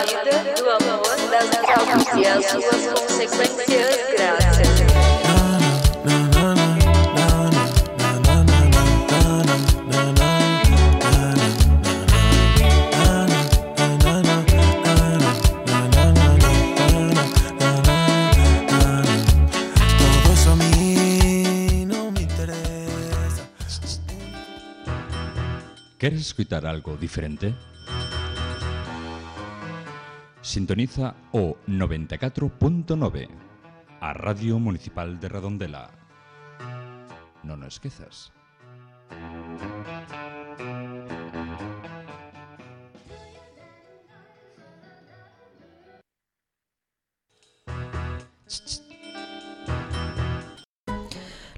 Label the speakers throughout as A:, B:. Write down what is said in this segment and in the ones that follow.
A: vida, do amor, das traumas e as suas consequências. Graças.
B: ¿Queres escutar algo diferente? Sintoniza o 94.9, a Radio Municipal de Redondela. Non o esquezas.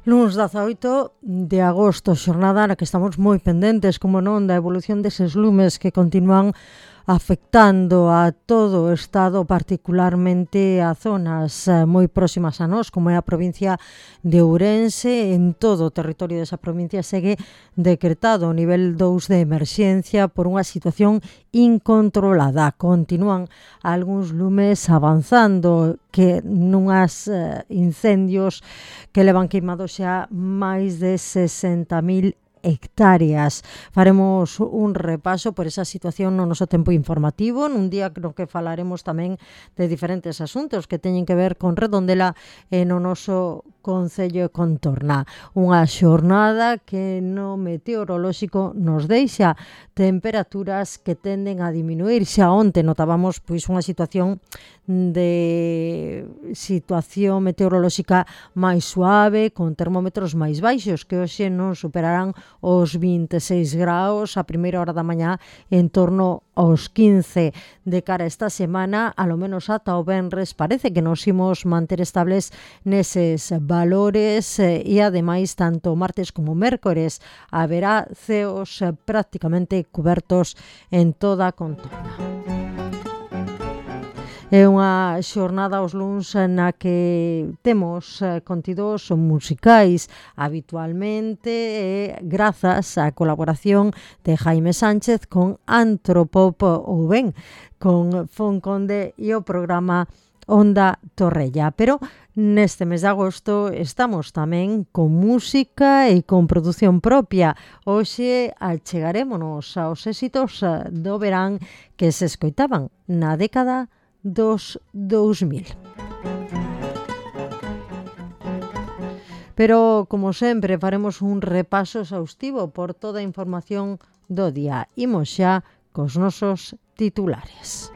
C: Luns 18 de agosto, xornada na que estamos moi pendentes, como non, da evolución deses lumes que continúan afectando a todo o Estado, particularmente a zonas moi próximas a nós, como é a provincia de Ourense. En todo o territorio desa provincia segue decretado o nivel 2 de emerxencia por unha situación incontrolada. Continúan algúns lumes avanzando, que nunhas incendios que levan queimados xa máis de 60.000 hectáreas. Faremos un repaso por esa situación no noso tempo informativo, nun día no que falaremos tamén de diferentes asuntos que teñen que ver con Redondela e no noso Concello e contorna. Unha xornada que no meteorolóxico nos deixa temperaturas que tenden a diminuir. Xa onte notábamos unha situación meteorolóxica máis suave, con termómetros máis baixos, que hoxe non superarán os 26 graus a primeira hora da mañá, en torno aos 15. De cara a esta semana, alo menos ata o venres, parece que nos imos manter estables neses valores e ademais tanto martes como mércores haberá ceos prácticamente cubertos en toda a contorna. É unha xornada aos luns na que temos contidos musicais habitualmente, grazas á colaboración de Jaime Sánchez con Antropop ou ben con Fonconde e o programa Onda Torrella. Pero neste mes de agosto estamos tamén con música e con produción propia. Hoxe achegarémonos aos éxitos do verán que se escoitaban na década dos 2000. Pero, como sempre, faremos un repaso exhaustivo por toda a información do día. Imos xa cos nosos titulares.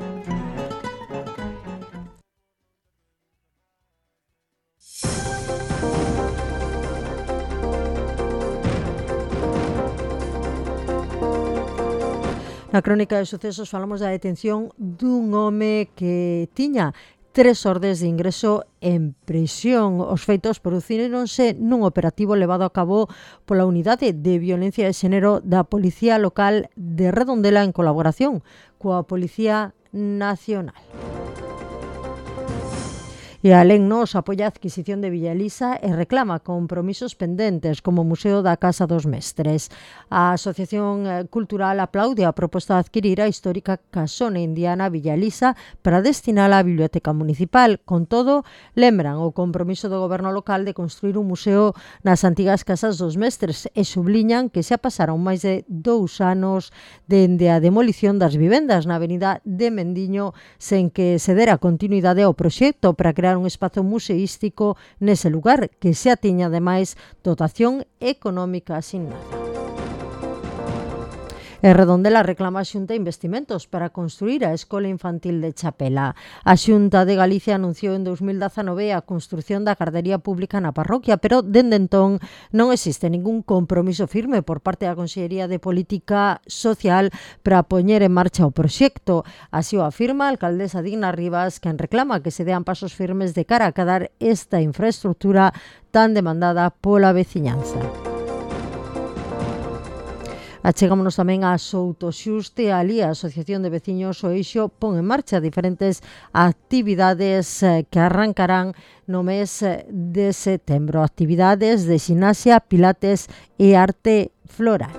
C: Na crónica de sucesos falamos da detención dun home que tiña 3 ordes de ingreso en prisión. Os feitos producíronse nun operativo levado a cabo pola Unidade de Violencia de Xénero da Policía Local de Redondela en colaboración coa Policía Nacional. E a Lennos apoia a adquisición de Villa Elisa e reclama compromisos pendentes como o Museo da Casa dos Mestres. A Asociación Cultural aplaude a proposta de adquirir a histórica casona indiana Villa Elisa para destinala á Biblioteca Municipal. Con todo, lembran o compromiso do goberno local de construir un museo nas antigas Casas dos Mestres e subliñan que xa pasaron máis de 2 anos dende a demolición das vivendas na avenida de Mendiño sen que se dera continuidade ao proxecto para crear un espazo museístico nese lugar que xa tiña ademais dotación económica asignada. E Redondela reclama a Xunta investimentos para construir a Escola Infantil de Chapela. A Xunta de Galicia anunciou en 2019 a construción da gardería pública na parroquia, pero dende entón non existe ningún compromiso firme por parte da Consellería de Política Social para poñer en marcha o proxecto. Así o afirma a alcaldesa Digna Rivas, quen reclama que se dean pasos firmes de cara a acadar esta infraestructura tan demandada pola veciñanza. Achegámonos tamén a Soutoxuste. Ali a Asociación de Veciños O Eixo pon en marcha diferentes actividades que arrancarán no mes de setembro. Actividades de ximnasia, pilates e arte floral.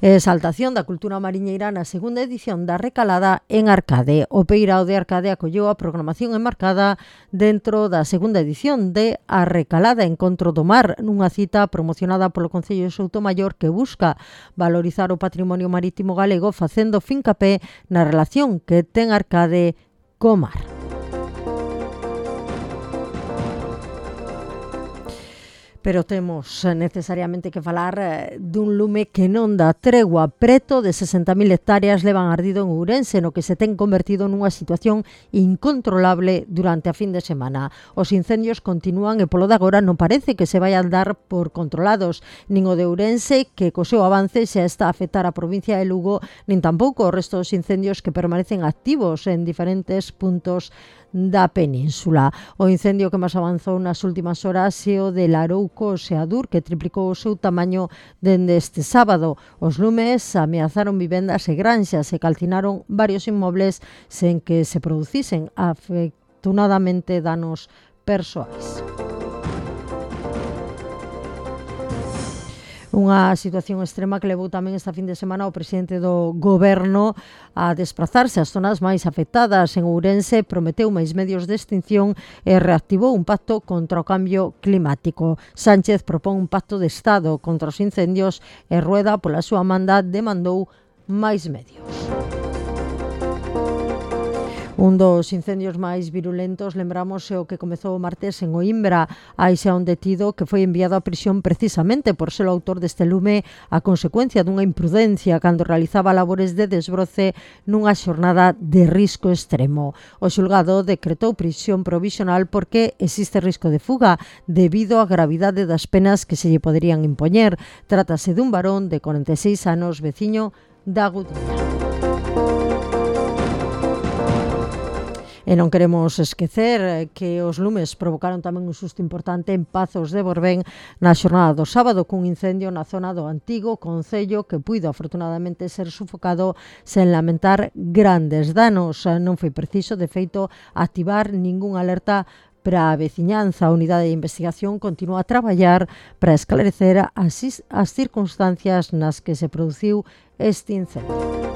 C: Exaltación da cultura mariñeira na segunda edición da Recalada en Arcade. O Peirao de Arcade acolleu a programación enmarcada dentro da segunda edición de A Recalada Encontro do Mar, nunha cita promocionada polo Concello de Soutomaior que busca valorizar o patrimonio marítimo galego facendo fincapé na relación que ten Arcade co mar. Pero temos necesariamente que falar dun lume que non dá tregua. Preto de 60.000 hectáreas levan ardido en Ourense, no que se ten convertido nunha situación incontrolable durante a fin de semana. Os incendios continúan e polo de agora non parece que se vayan dar por controlados. Nin o de Ourense, que co seu avance xa está a afectar a provincia de Lugo, nin tampouco o resto dos incendios que permanecen activos en diferentes puntos da península. O incendio que máis avanzou nas últimas horas é o de Larouco Seadur, que triplicou o seu tamaño dende este sábado. Os lumes ameazaron vivendas e granxas e calcinaron varios inmobles sen que se producisen afortunadamente danos persoais. Unha situación extrema que levou tamén esta fin de semana o presidente do goberno a desplazarse ás zonas máis afectadas. En Ourense prometeu máis medios de extinción e reactivou un pacto contra o cambio climático. Sánchez propón un pacto de Estado contra os incendios e Rueda, pola súa manda, demandou máis medios. Un dos incendios máis virulentos, lembramos, é o que comezou o martes en Oimbra. Hai xa un detido que foi enviado a prisión precisamente por ser o autor deste lume a consecuencia dunha imprudencia cando realizaba labores de desbroce nunha xornada de risco extremo. O xulgado decretou prisión provisional porque existe risco de fuga debido á gravidade das penas que se lle poderían impoñer. Trátase dun varón de 46 anos, veciño da Gudiña. E non queremos esquecer que os lumes provocaron tamén un susto importante en Pazos de Borbén na xornada do sábado cun incendio na zona do antigo concello que puido afortunadamente ser sufocado sen lamentar grandes danos. Non foi preciso, de feito, activar ningunha alerta para a veciñanza. A unidade de investigación continúa a traballar para esclarecer as circunstancias nas que se produciu este incendio.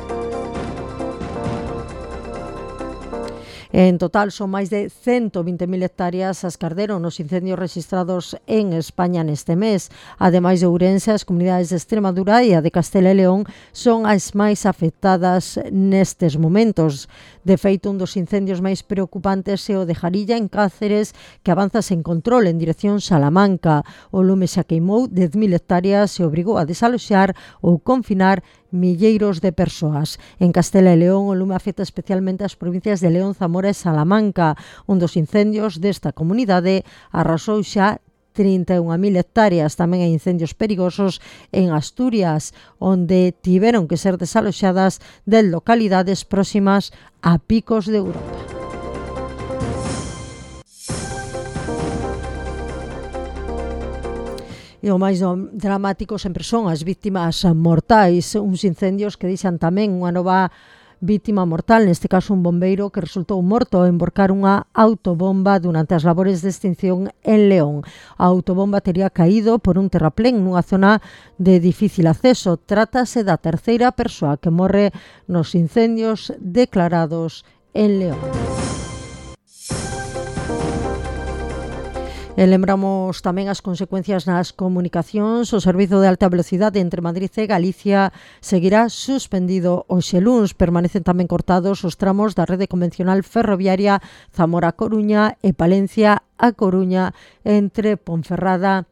C: En total son máis de 120.000 hectáreas as que arderon nos incendios registrados en España neste mes. Ademais de Ourense, as comunidades de Extremadura e a de Castela e León son as máis afectadas nestes momentos. De feito, un dos incendios máis preocupantes é o de Jarilla, en Cáceres, que avanza sen control en dirección Salamanca. O lume xa queimou 10.000 hectáreas e obrigou a desaloxar ou confinar milleiros de persoas. En Castela e León, o lume afecta especialmente as provincias de León, Zamora e Salamanca. Un dos incendios desta comunidade arrasou xa 31.000 hectáreas. Tamén hai incendios perigosos en Asturias, onde tiveron que ser desaloxadas de localidades próximas a picos de Europa. E o máis dramático sempre son as vítimas mortais, uns incendios que deixan tamén unha nova vítima mortal, neste caso un bombeiro que resultou morto ao envorcar unha autobomba durante as labores de extinción en León. A autobomba tería caído por un terraplén nunha zona de difícil acceso. Trátase da terceira persoa que morre nos incendios declarados en León. E lembramos tamén as consecuencias nas comunicacións. O servizo de alta velocidade entre Madrid e Galicia seguirá suspendido hoxe luns. Permanecen tamén cortados os tramos da rede convencional ferroviaria Zamora-Coruña e Palencia-A Coruña entre Ponferrada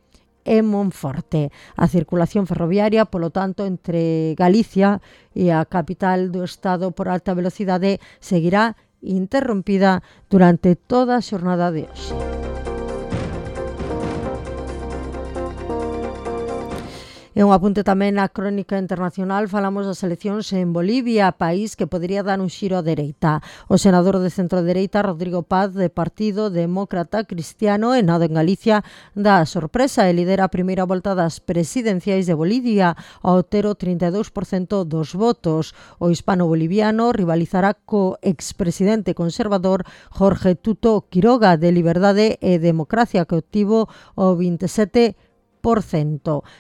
C: e Monforte. A circulación ferroviaria, polo tanto, entre Galicia e a capital do estado por alta velocidade seguirá interrompida durante toda a xornada de hoxe. E un apunte tamén na crónica internacional, falamos das eleccións en Bolivia, país que podería dar un xiro á dereita. O senador de centro-dereita, Rodrigo Paz, de Partido Demócrata Cristiano, e nado en Galicia, dá a sorpresa e lidera a primeira volta das presidenciais de Bolivia ao ter o 32% dos votos. O hispano-boliviano rivalizará co expresidente conservador Jorge Tuto Quiroga, de Liberdade e Democracia, que obtivo o 27%.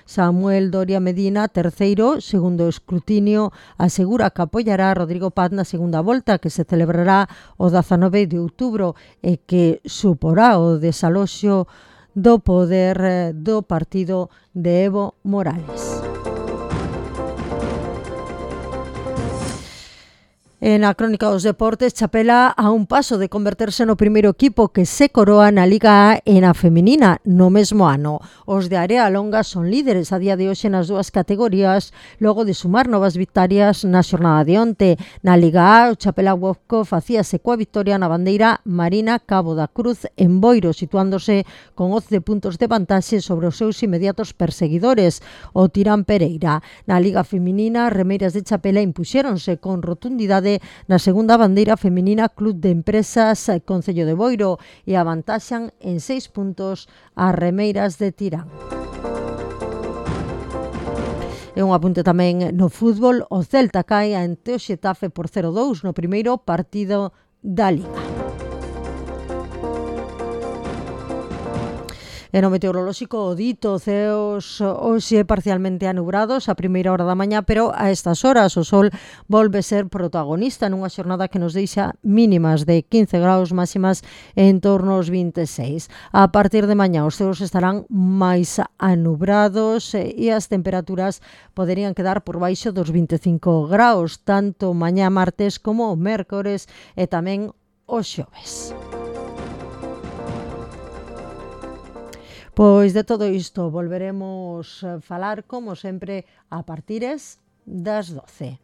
C: Samuel Doria Medina, terceiro, segundo escrutinio, asegura que apoiará a Rodrigo Paz na segunda volta que se celebrará o 19 de outubro e que suporá o desaloxo do poder do partido de Evo Morales. En a crónica dos deportes, Chapela a un paso de converterse no primeiro equipo que se coroa na Liga A e na feminina no mesmo ano. Os de Area Longa son líderes a día de hoxe nas dúas categorías, logo de sumar novas victorias na xornada de onte. Na Liga A, o Chapela Wopco facíase coa victoria na bandeira Marina Cabo da Cruz en Boiro, situándose con 11 puntos de vantaxe sobre os seus inmediatos perseguidores, o Tirán Pereira. Na Liga Feminina, Remeiras de Chapela impuxéronse con rotundidade na segunda bandeira feminina Club de Empresas Concello de Boiro e avantaxan en 6 puntos as Remeiras de Tirán. E un apunte tamén no fútbol, o Celta cae ante o Xetafe por 0-2 no primeiro partido da Liga. E no meteorolóxico, o dito, ceos hoxe parcialmente anubrados a primeira hora da mañá, pero a estas horas o sol volve ser protagonista nunha xornada que nos deixa mínimas de 15 graus, máximas en torno aos 26. A partir de mañá os ceos estarán máis anubrados e as temperaturas poderían quedar por baixo dos 25 graus, tanto mañá martes como o mércores e tamén o xoves. Pois de todo isto volveremos a falar, como sempre, a partires das 12.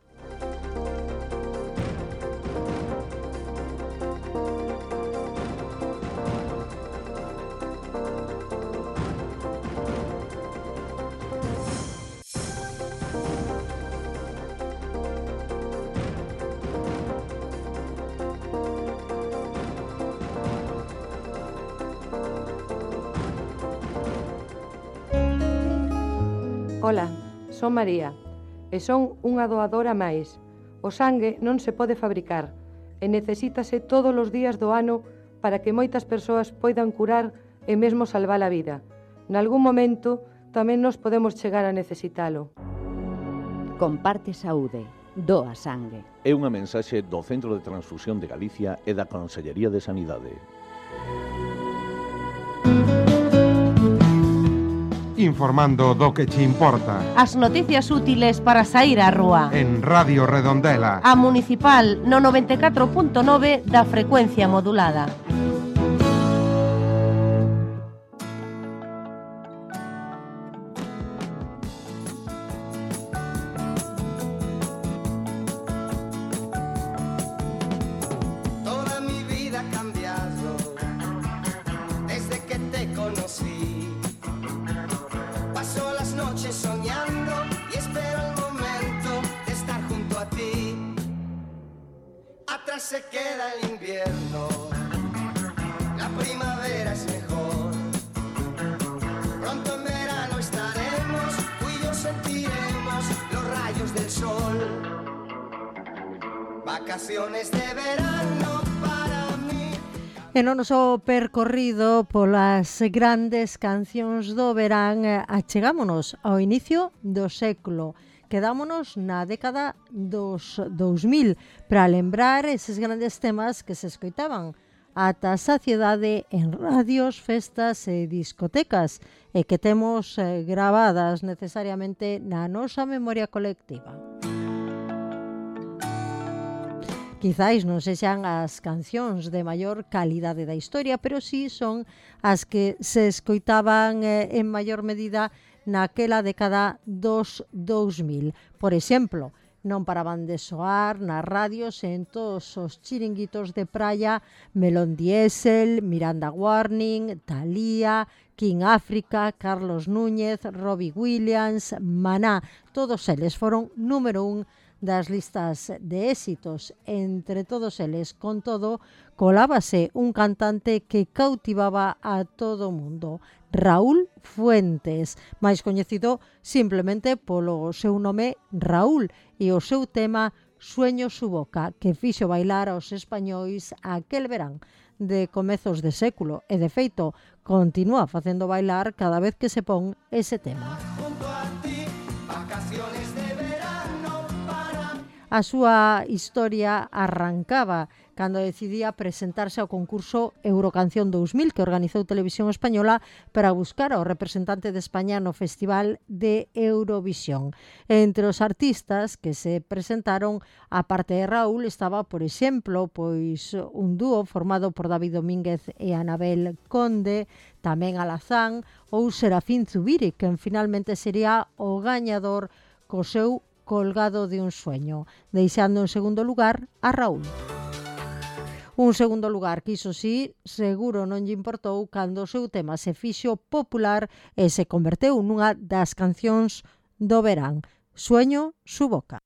D: Ola, son María e son unha doadora máis. O sangue non se pode fabricar e necesítase todos os días do ano para que moitas persoas poidan curar e mesmo salvar a vida. Nalgún momento tamén nos podemos chegar a necesitalo.
E: Comparte saúde, doa sangue.
F: É unha mensaxe do Centro de Transfusión de Galicia e da Consellería de Sanidade.
G: Informando do que che importa.
H: As noticias útiles para saír á rúa.
G: En Radio Redondela.
H: A Municipal no 94.9 da frecuencia modulada.
I: Toda mi vida ha cambiado desde que te conocí. Paso las noches soñando y espero el momento de estar junto a ti. Atrás se queda el invierno, la primavera es mejor. Pronto en verano estaremos, tú y yo sentiremos los rayos del sol. Vacaciones de verano para mí.
C: E no noso percorrido polas grandes cancións do verán, achegámonos ao inicio do século. Quedámonos na década dos 2000 para lembrar eses grandes temas que se escoitaban ata a saciedade en radios, festas e discotecas e que temos gravadas necesariamente na nosa memoria colectiva. Quizáis non sexan as cancións de maior calidade da historia, pero sí son as que se escoitaban en maior medida naquela década dos 2000. Por exemplo, non paraban de soar nas radios en todos os chiringuitos de praia Melón Diesel, Miranda Warning, Thalía, King África, Carlos Núñez, Robbie Williams, Maná. Todos eles foron número 1 das listas de éxitos. Entre todos eles, con todo, colábase un cantante que cautivaba a todo o mundo, Raúl Fuentes, máis coñecido simplemente polo seu nome Raúl e o seu tema Sueño su boca, que fixo bailar aos españois aquel verán de comezos de século e, de feito, continúa facendo bailar cada vez que se pon ese tema. A súa historia arrancaba cando decidía presentarse ao concurso Eurocanción 2000 que organizou Televisión Española para buscar ao representante de España no Festival de Eurovisión. Entre os artistas que se presentaron, a parte de Raúl, estaba, por exemplo, pois un dúo formado por David Domínguez e Anabel Conde, tamén Alazán ou Serafín Zubiri, que finalmente sería o gañador co seu Colgado de un sueño, deixando en segundo lugar a Raúl. Un segundo lugar que, iso sí, seguro non lle importou cando o seu tema se fixo popular e se converteu nunha das cancións do verán. Sueño su boca.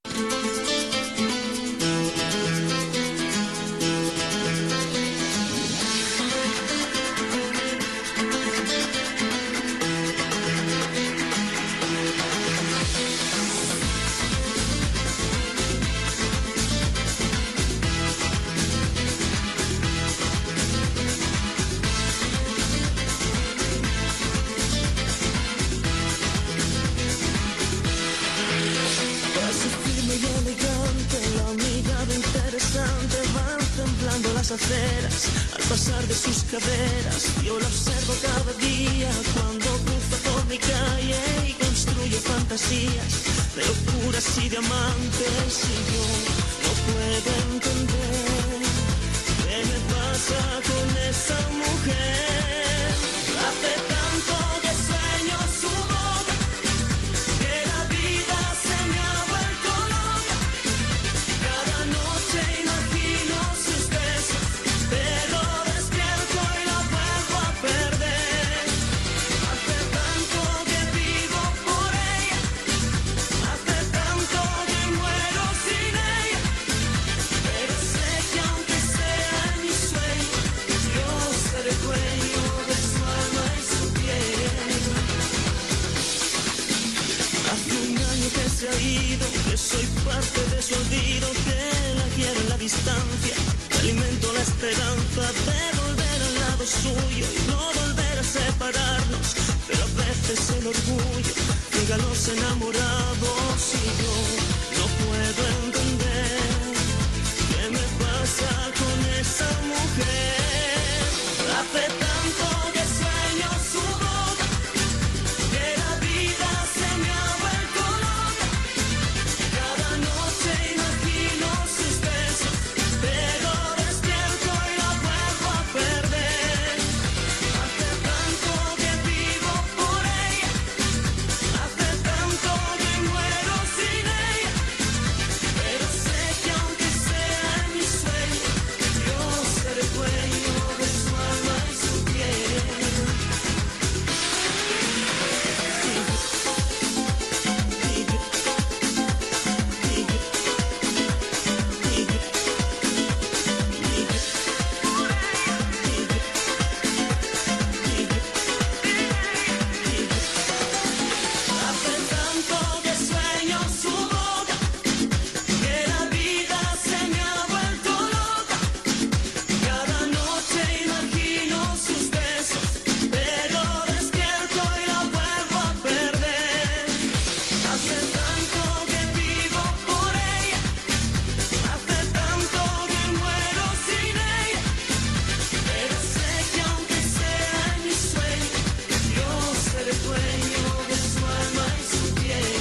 J: Aceras, al pasar de sus caderas, yo la observo cada día cuando cruza por mi calle y construye fantasías de locuras y diamantes, y yo no puedo entender qué me pasa con esa mujer. Hace tanto que sueño su boca, que la vida se me ha vuelto loca. Cada noche imagino sus besos, pero despierto y la vuelvo a perder. Hace tanto que vivo por ella, hace tanto que muero sin ella, pero sé que aunque sea en mi sueño, yo seré dueño de su alma y su piel. Hace un año que se ha ido, que soy parte de su olvido, que la quiero en la distancia, que alimento la esperanza de volver al lado suyo y no volver a separarnos, pero a veces el orgullo llega a los enamorados y yo no puedo entender qué me pasa con esa mujer. Hace tanto que sueño su boca, que la vida se me ha vuelto loca. Cada noche imagino sus besos, pero despierto y la vuelvo a perder. Hace tanto que vivo por ella, hace tanto que muero sin ella, pero sé que aunque sea en mi sueño, yo seré dueño de su alma y su piel. Hace tanto que sueño su boca, que la vida se me ha vuelto loca. Cada noche imagino sus besos, pero despierto y la vuelvo a perder. Hace tanto que vivo por ella, hace tanto que muero sin ella, pero sé que aunque sea en mi sueño, yo seré dueño de su alma y su piel.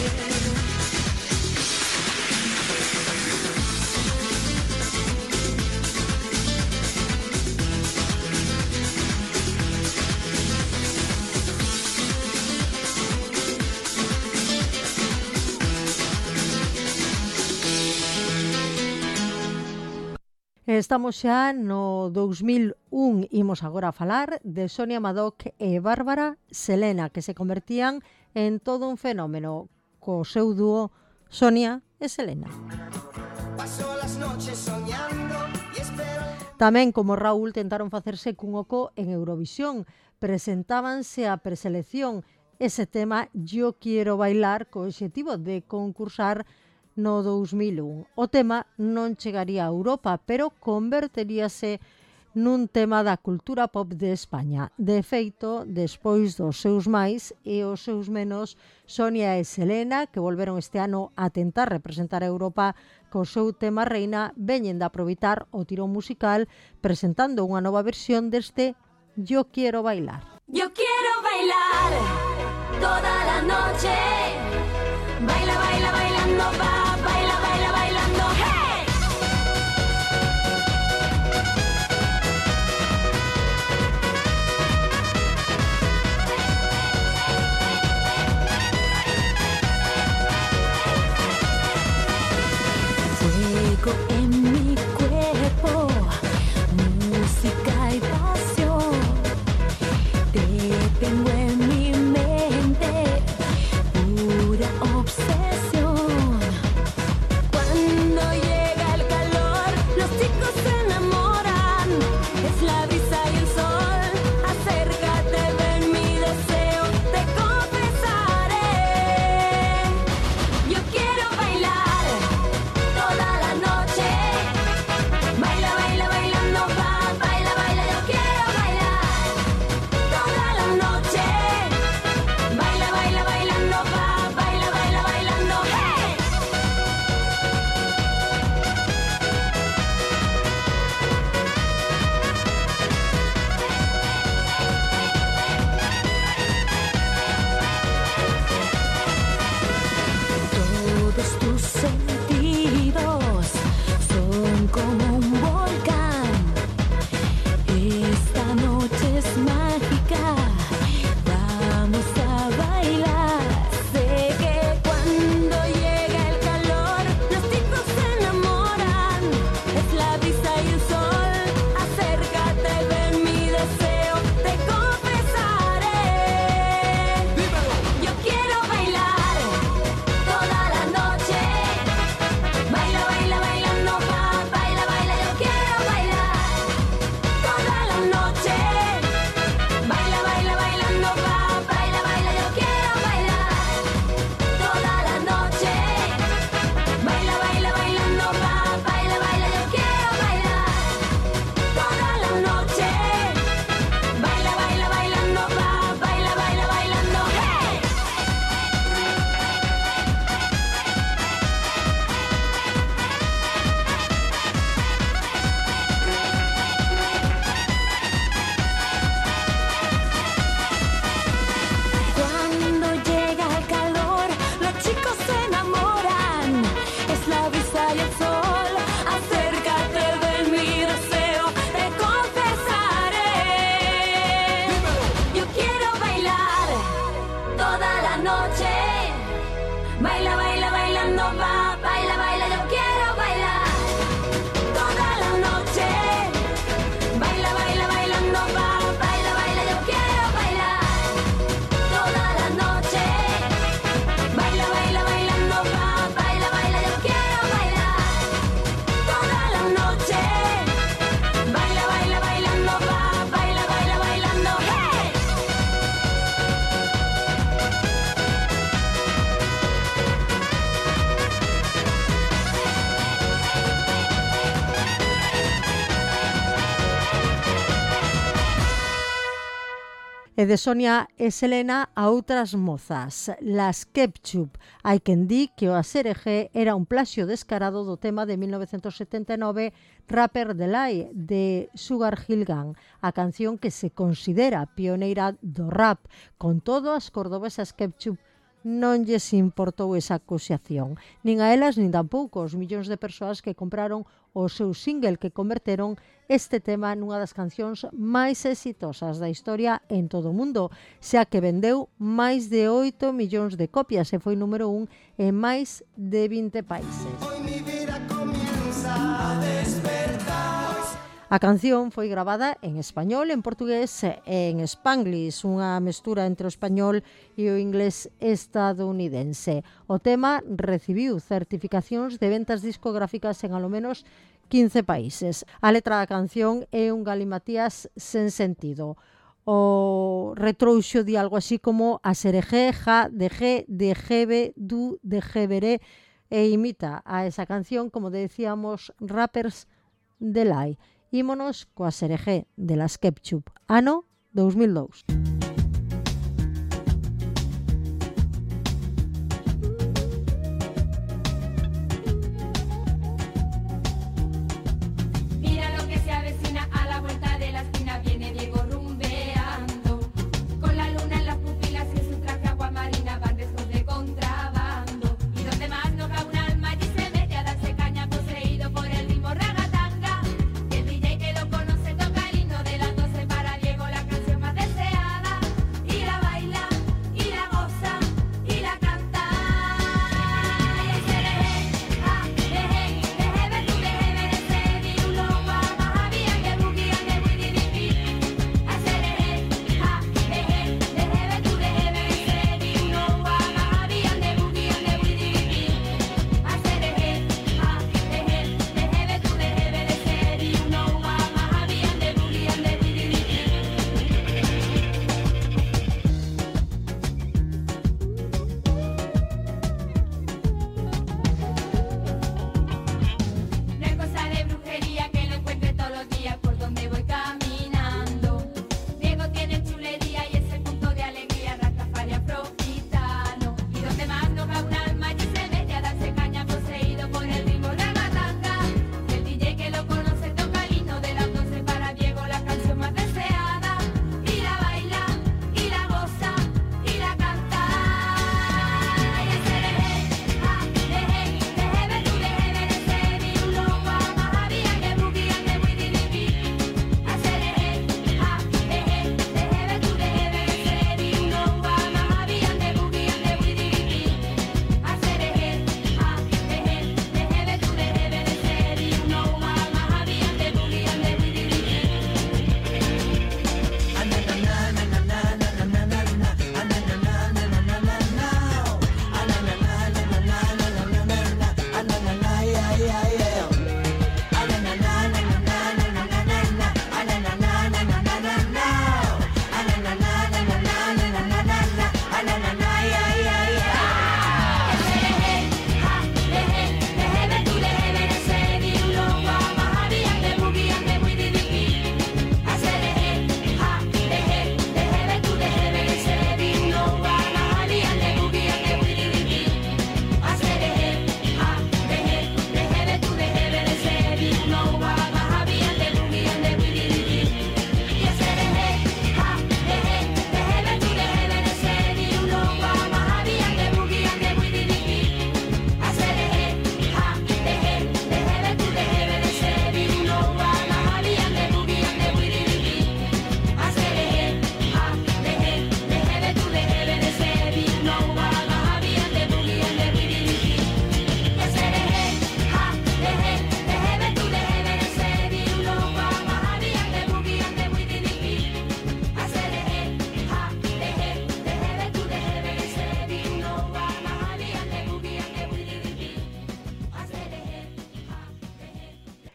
C: Estamos xa no 2001, imos agora a falar de Sonia Madoc e Bárbara Selena, que se convertían en todo un fenómeno co seu dúo Sonia e Selena.
I: Paso las noches soñando y espero.
C: Tamén, como Raúl, tentaron facerse cun oco en Eurovisión. Presentábanse a preselección ese tema Yo quiero bailar co obxectivo de concursar no 2001. O tema non chegaría a Europa, pero converteríase nun tema da cultura pop de España. De feito, despois dos seus máis e os seus menos, Sonia e Selena, que volveron este ano a tentar representar a Europa co seu tema Reina, veñen de aproveitar o tirón musical presentando unha nova versión deste Yo quiero bailar.
K: Yo quiero bailar toda la noche. Baila, baila, bailando, va, baila, baila, bailando, hey.
J: Fuego en mi cuerpo, música y pasión. Te tengo en mi mente, pura obsesión. Cuando llega el calor, los chicos se enamoran. Es la brisa y el sol. Acércate, ven mi deseo, te confesaré. Yo quiero bailar toda la noche. Baila, baila, bailando, va, baila, baila. Yo quiero bailar toda la noche. Baila, baila, bailando, va, baila, baila, bailando, hey. Todos tus sentidos son como un volcán. Esta noche es mágica, vamos a bailar. Sé que cuando llega el calor, los chicos se enamoran. Es la brisa y el sol. Acércate, ven mi deseo, te confesaré. Yo quiero bailar toda la noche. Baila, baila, bailando, va, baila, baila. Yo quiero bailar toda la noche. Baila, baila, bailando, va, baila, baila. Yo quiero bailar toda la noche. Baila, baila, bailando, va, baila, baila. Yo quiero bailar toda la noche. Baila, baila, bailando, va, baila, baila, bailando, hey. Cuando llega el calor, los chicos se enamoran. Es la brisa y el sol. Acércate, ven mi deseo, te confesaré. Yo quiero bailar toda la noche. Baila, baila, bailando, va, baila, baila. Yo quiero bailar toda la noche. Baila, baila, bailando, va, baila, baila. Yo quiero bailar toda la noche. Baila, baila, bailando, va, baila, baila. Yo quiero bailar toda la noche. Baila, baila, bailando, va, baila, baila, bailando, hey.
C: E de Sonia e Selena a outras mozas, las Ketchup. Hai quen di que o ASRG era un plaxio descarado do tema de 1979 Rapper Delay de Sugar Hill Gang, a canción que se considera pioneira do rap. Con todo, as cordobesas Ketchup non lles importou esa acusación, nin a elas nin tampouco os millóns de persoas que compraron o seu single que converteron este tema nunha das cancións máis exitosas da historia en todo o mundo, xa que vendeu máis de 8 millóns de copias e foi número 1 en máis de 20 países.
I: Hoy mi vida comienza a despertar.
C: A canción foi gravada en español, en portugués e en spanglish, unha mestura entre o español e o inglés estadounidense. O tema recibiu certificacións de ventas discográficas en alo menos 15 países. A letra da canción é un galimatías sen sentido. O retrouxo di algo así como a sereje, ja, de ge, de jebe, du, de jeberé, e imita a esa canción, como decíamos, Rappers Delay. Ímonos coa Serejé de las Ketchup, ano 2002.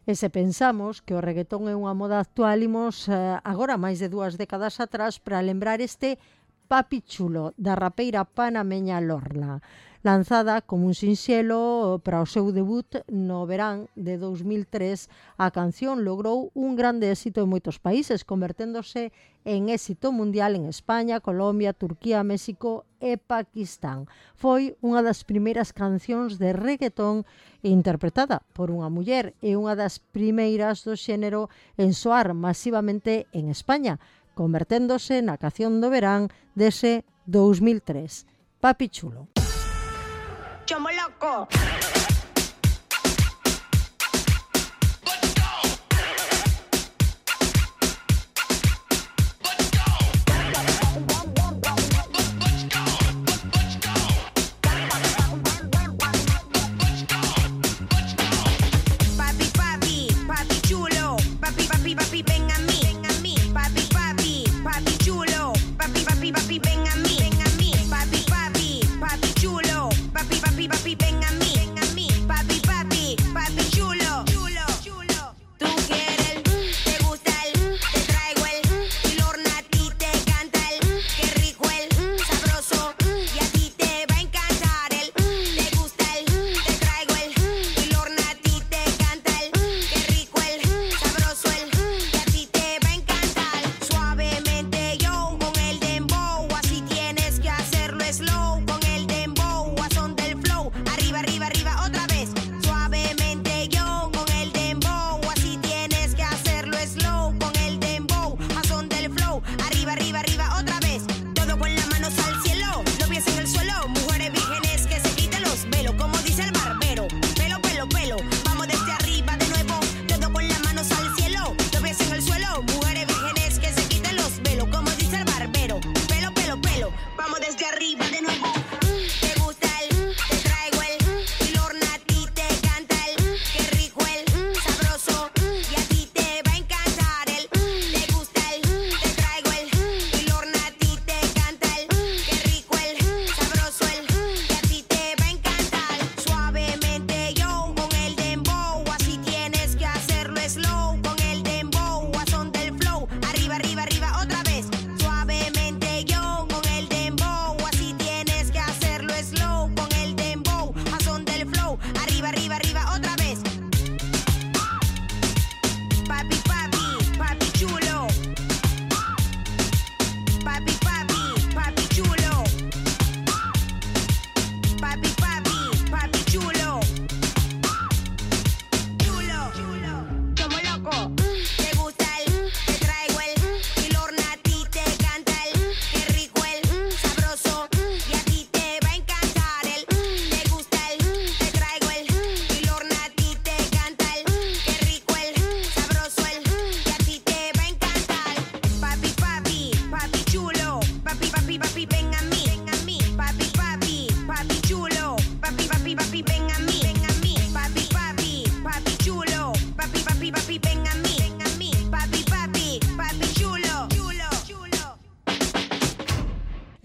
C: E se pensamos que o reggaetón é unha moda actual, imos agora máis de 2 décadas atrás para lembrar este Papi Chulo da rapeira panameña Lorna, lanzada como un sinxelo para o seu debut no verán de 2003. A canción logrou un grande éxito en moitos países, converténdose en éxito mundial en España, Colombia, Turquía, México e Pakistán. Foi unha das primeiras cancións de reggaetón interpretada por unha muller e unha das primeiras do xénero en soar masivamente en España, converténdose na canción do verán dese 2003, Papi Chulo.
L: Chomo loco.
M: Papi, ven a mí.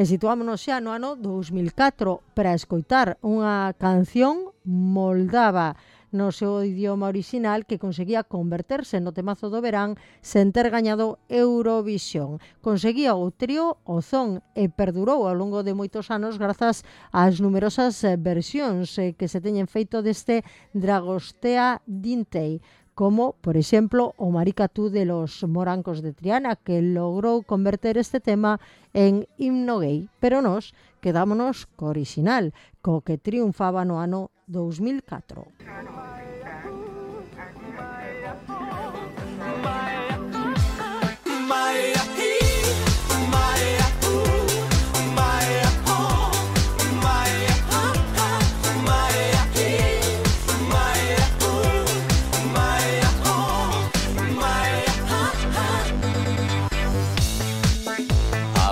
C: E situámonos xa no ano 2004 para escoitar unha canción moldava no seu idioma original que conseguía converterse no temazo do verán sen ter gañado Eurovisión. Conseguía o trío o son e perdurou ao longo de moitos anos grazas ás numerosas versións que se teñen feito deste Dragostea Dintei, como, por exemplo, o Maricatú de los Morancos de Triana, que logrou converter este tema en himno gay. Pero nós quedámonos co original, co que triunfaba no ano 2004.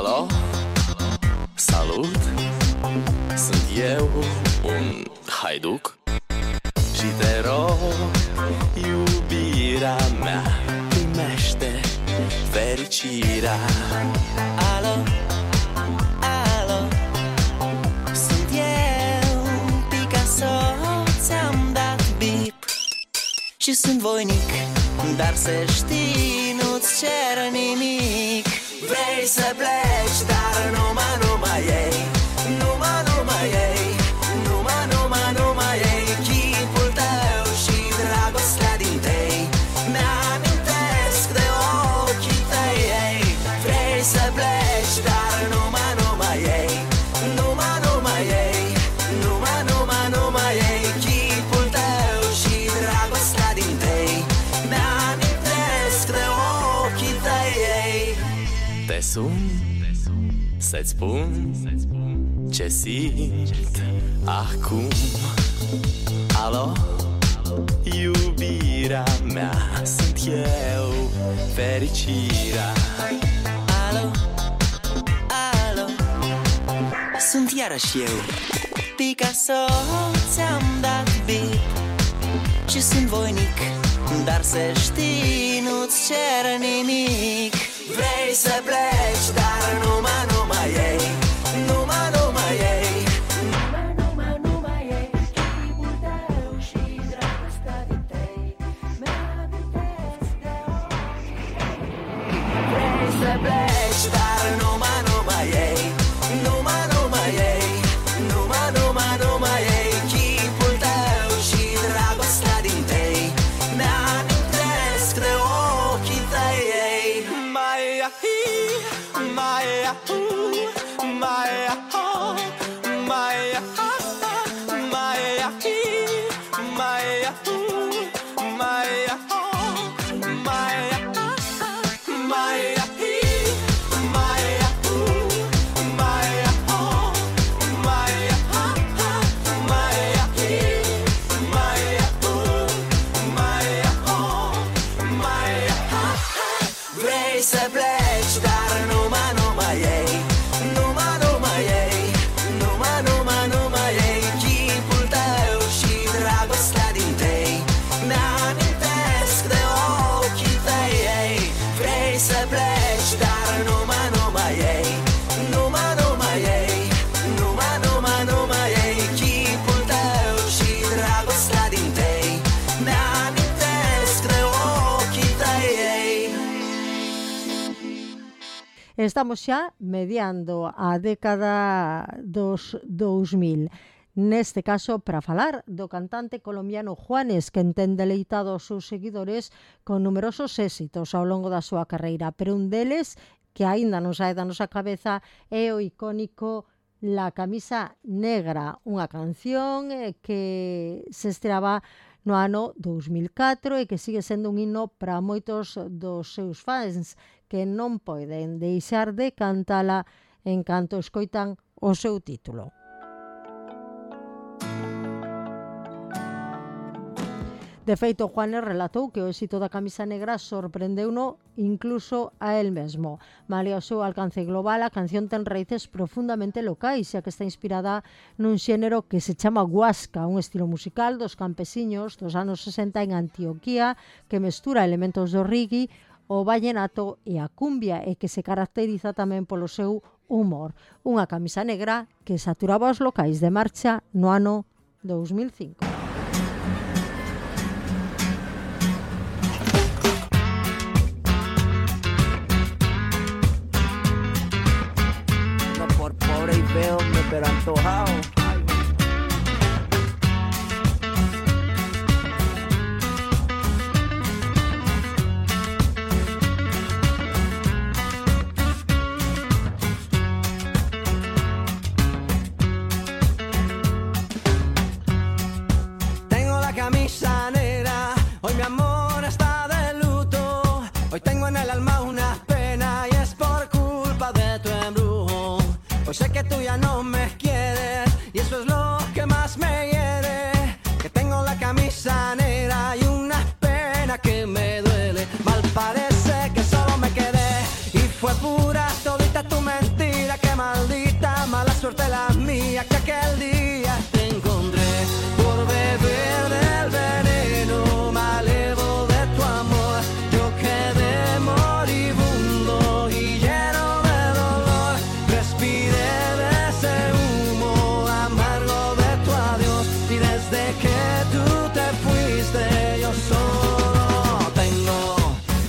M: Alo, salut, sunt eu un haiduc și te rog, iubirea mea, primește fericirea. Alo, alo, sunt eu, Picasso, ți-am dat bip și sunt voinic, dar să știi, nu-ți cer nimic. Vrei să pleci, dar numai ei, numai ei, numai ei, chipul tău și dragostea din tei mi-amintesc de ochii tăi, ei. Vrei să pleci, dar numai ei, numai ei, numai ei, chipul tău și dragostea din tei mi-amintesc de ochii tăi, ei. Te sun să-ți spun ce simt acum. Alo, iubirea mea, sunt eu, fericirea. Alo, alo, sunt iarăși eu, Picasso, ți-am dat bip și sunt voinic, dar să știi, nu-ți cer nimic. Vrei să pleci, dar numai ei, numai ei, numai ei, chipul tău și dragostea din tei mi-amintesc de ochii tăi. Vrei să pleci, dar numai ei, numai ei, numai ei, chipul tău și dragostea din tei mi-amintesc de ochii tăi, ei. Vrei să pleci, dar numai ei, numai ei, numai ei, chipul tău și dragostea din tei mi-amintesc de ochii tăi, ei. Vrei să pleci, dar numai ei, numai ei, numai ei, chipul tău și dragostea din tei mi-amintesc de ochii tăi, ei.
C: Estamos xa mediando a década dos 2000. Neste caso, para falar do cantante colombiano Juanes, que ten deleitado os seus seguidores con numerosos éxitos ao longo da súa carreira, pero un deles que aínda non sae da nosa cabeza é o icónico La Camisa Negra, unha canción que se estreaba no ano 2004 e que sigue sendo un himno para moitos dos seus fans que non poden deixar de cantala en canto escoitan o seu título. De feito, Juanes relatou que o éxito da Camisa Negra sorprendeuno incluso a él mesmo. Malia o seu alcance global, a canción ten raíces profundamente locais, xa que está inspirada nun xénero que se chama huasca, un estilo musical dos campesiños dos anos 60 en Antioquía que mestura elementos do reggae, o vallenato e a cumbia e que se caracteriza tamén polo seu humor. Unha camisa negra que saturaba os locais de marcha no ano 2005.
M: No por pobre y feo, pero antojado.
I: Camisa negra, hoy mi amor está de luto. Hoy tengo en el alma una pena y es por culpa de tu embrujo. Hoy sé que tú ya no me quieres y eso es lo que más me hiere. Que tengo la camisa negra y una pena que me duele. Mal parece que solo me quedé y fue pura todita tu mentira. Que maldita mala suerte la mía que aquel día te encontré por beber del veneno malevo de tu amor. Yo quedé moribundo y lleno de dolor. Respiré de ese humo amargo de tu adiós. Y desde que tú te fuiste yo solo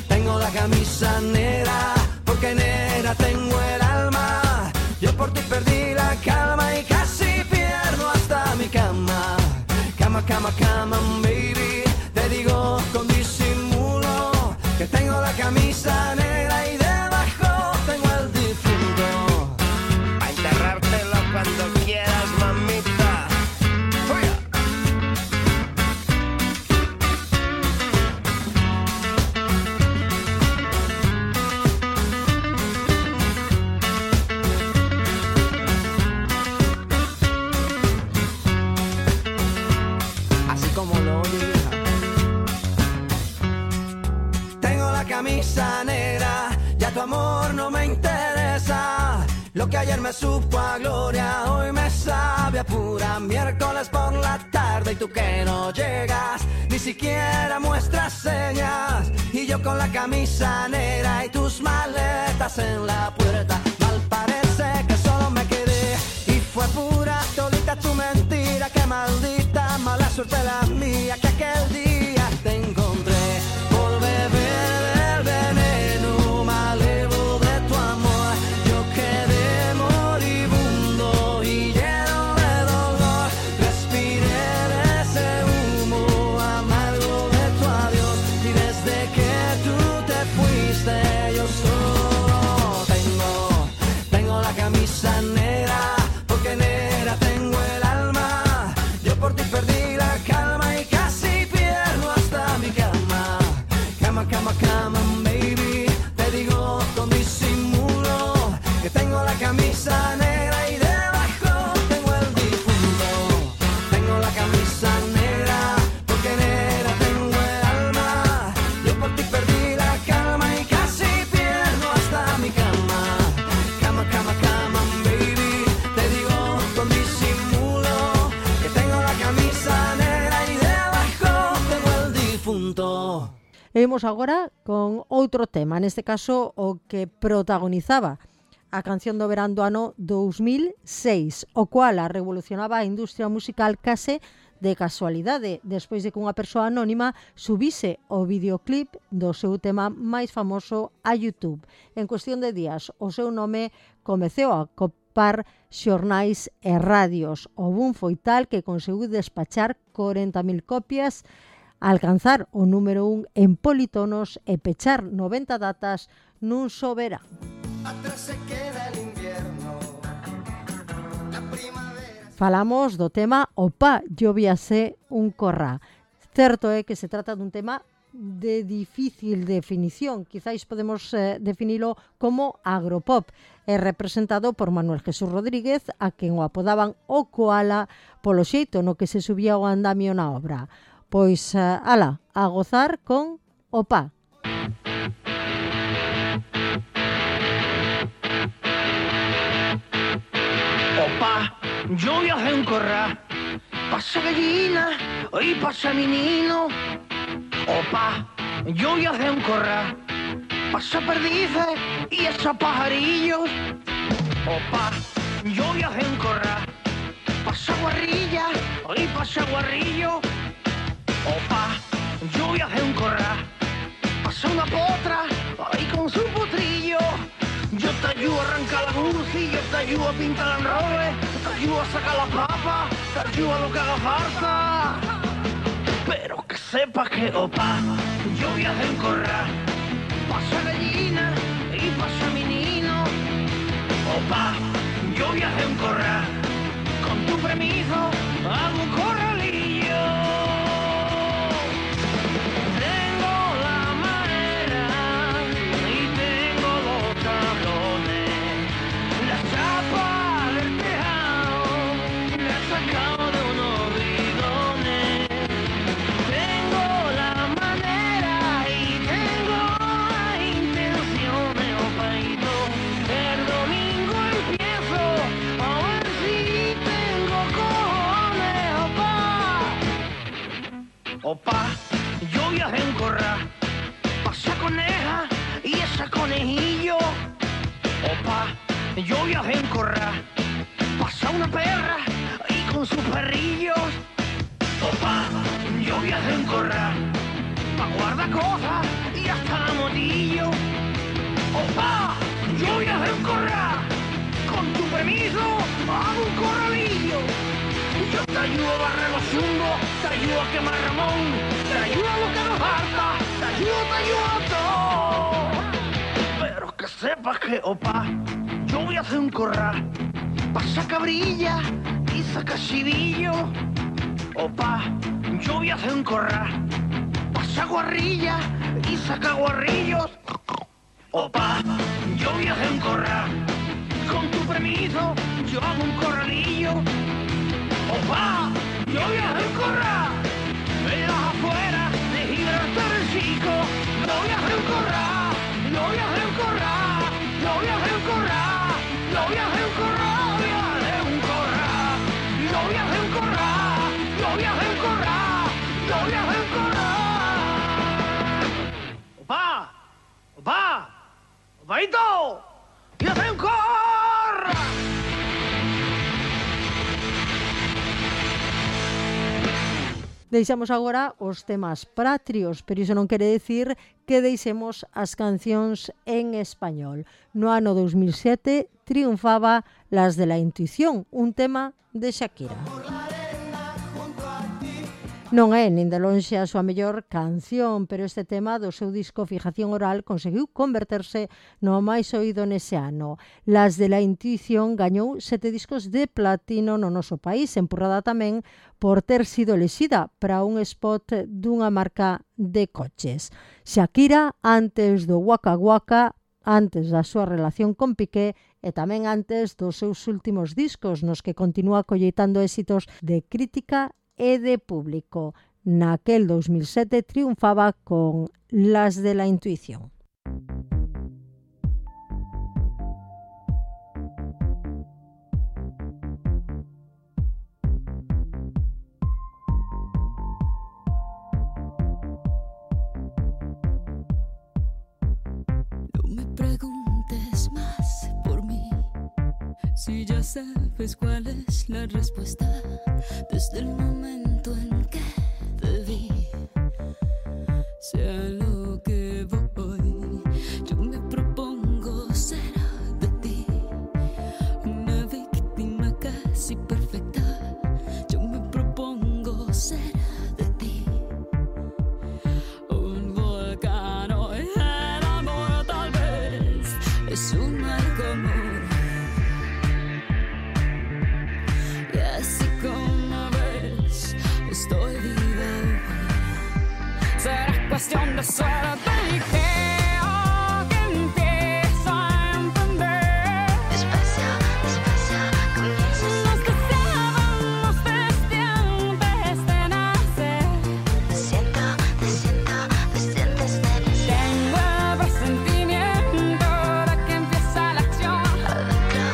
I: tengo la camisa negra. Porque negra tengo el alma. Yo por ti perdí la calma y casi pierdo hasta mi cama. Cama, cama, cama, baby. Te digo con disimulo que tengo la camisa negra y debajo tengo el difunto.
N: A enterrártelo cuando quieras, mamita. ¡Fuera!
I: Así como lo oye, vieja. Tengo la camisa negra, ya tu amor no me interesa. Lo que ayer me supo a gloria, hoy me sabe a pura. Miércoles por la tarde y tú que no llegas, ni siquiera muestras señas. Y yo con la camisa negra y tus maletas en la puerta. Mal parece que solo me quedé y fue pura todita tu mentira. Que maldita mala suerte la mía que aquel día te encontré por beber del veneno malevo de tu amor. Yo quedé moribundo y lleno de dolor. Respiré de ese humo amargo de tu adiós. Y desde que tú te fuiste yo solo tengo la camisa negra. Porque negra tengo el alma. Yo por ti perdí la calma y casi pierdo hasta mi cama. Cama, cama, cama, baby. Te digo con disimulo que tengo la camisa negra y debajo tengo el difunto. Tengo la camisa negra porque negra tengo el alma. Yo por ti perdí la calma y casi pierdo hasta mi cama. Cama, cama, cama, baby. Te digo con disimulo que tengo la camisa negra y debajo tengo el difunto.
C: E imos agora con outro tema, neste caso o que protagonizaba a canción do verán do ano 2006, o cual a revolucionaba a industria musical case de casualidade, despois de que unha persoa anónima subise o videoclip do seu tema máis famoso a YouTube. En cuestión de días, o seu nome comeceu a copar xornais e radios. O boom foi tal que conseguiu despachar 40.000 copias, alcanzar o número 1 en politonos e pechar 90 datas nun só verán.
I: Atrás se queda el invierno, la primavera.
C: Falamos do tema Opa, llovíase un corrá. Certo é que se trata dun tema de difícil definición, quizáis podemos definilo como agropop. É representado por Manuel Jesús Rodríguez, a quen o apodaban o Koala polo xeito no que se subía o andamio na obra. Pois, ala, a gozar con Opa.
O: Opa, lluvia hace un corral, pasa gallina y pasa menino. Opa, lluvia hace un corral, pasa perdices y esos pajarillos. Opa, yo voy a hacer un corral. Pasa guarrilla, y pasa guarrillo. Opa, yo voy a hacer un corral. Pasa una potra, ahí con su potrillo. Yo te ayudo a arrancar la cursi, yo te ayudo a pintar el roble, te ayudo a sacar la papa, te ayudo a lo que haga falta. Pero que sepas que, opa, yo voy a hacer un corral. Pasa gallina y pasa menino. Opa, yo voy a hacer un corral. Con tu permiso, hago un corralillo. Tengo la madera y tengo los tablones. La chapa del tejado la he sacado de unos bidones. Tengo la manera y tengo las intenciones, opaito. El domingo empiezo a ver si tengo cojones, opa. Opa, yo voy a hacer un corral. Pasa coneja y esa conejillo. Opa, yo voy a hacer un corral. Pasa una perra y con sus perrillos. Opa, yo voy a hacer un corral. Pa' guardar cosas y hasta la motillo. Opa, yo voy a hacer un corral. Con tu permiso, hago un corralillo. Yo te ayudo a barrer los chungos, te ayudo a quemar Ramón, te ayudo a lo que nos falta, te ayudo a todo. Pero que sepas que, opa, yo voy a hacer un corral. Pasa cabrilla y saca chivillo. Opa, yo voy a hacer un corral. Pasa guarrilla y saca guarrillos. Opa, yo voy a hacer un corral. Con tu permiso, yo hago un corralillo. Opa, yo voy a hacer un corral. En las afueras de Gibraltar el Chico. Yo voy a hacer un corral. Yo voy a hacer un corral. Yo voy a hacer un corral. Yo voy a hacer un corral. Voy a hacer un corral. Yo voy a hacer un corral. Yo voy a hacer un corral. Yo voy a hacer un corral. Opa, opa, opaito. Voy a hacer un corral.
C: Deixamos agora os temas patrios, pero iso non quere decir que deixemos as cancións en español. No ano 2007 triunfaba Las de la Intuición, un tema de Shakira. Non é nin de lonxe a súa mellor canción, pero este tema do seu disco Fijación Oral conseguiu converterse no máis oído nese ano. Las de la Intuición gañou 7 discos de platino no noso país, empurrada tamén por ter sido elexida para un spot dunha marca de coches. Shakira, antes do Waka Waka, antes da súa relación con Piqué e tamén antes dos seus últimos discos nos que continúa colleitando éxitos de crítica e de público. Naquel 2007 triunfaba con Las de la Intuición.
P: No me preguntes más por mí, si ya sabes cuál es la respuesta. Desde el momento en que te vi, sé a lo que voy. Yo me propongo ser de ti una víctima casi perfecta. Yo me propongo ser de ti un volcán. Hoy el amor tal vez es un mal común. Estoy vivo. Será cuestión de suerte y creo que empiezo a entender. Despacio, despacio, comienzas. Nos deseábamos desde antes de nacer. Te siento antes de nacer. Tengo el presentimiento de que empieza la acción. Adentro,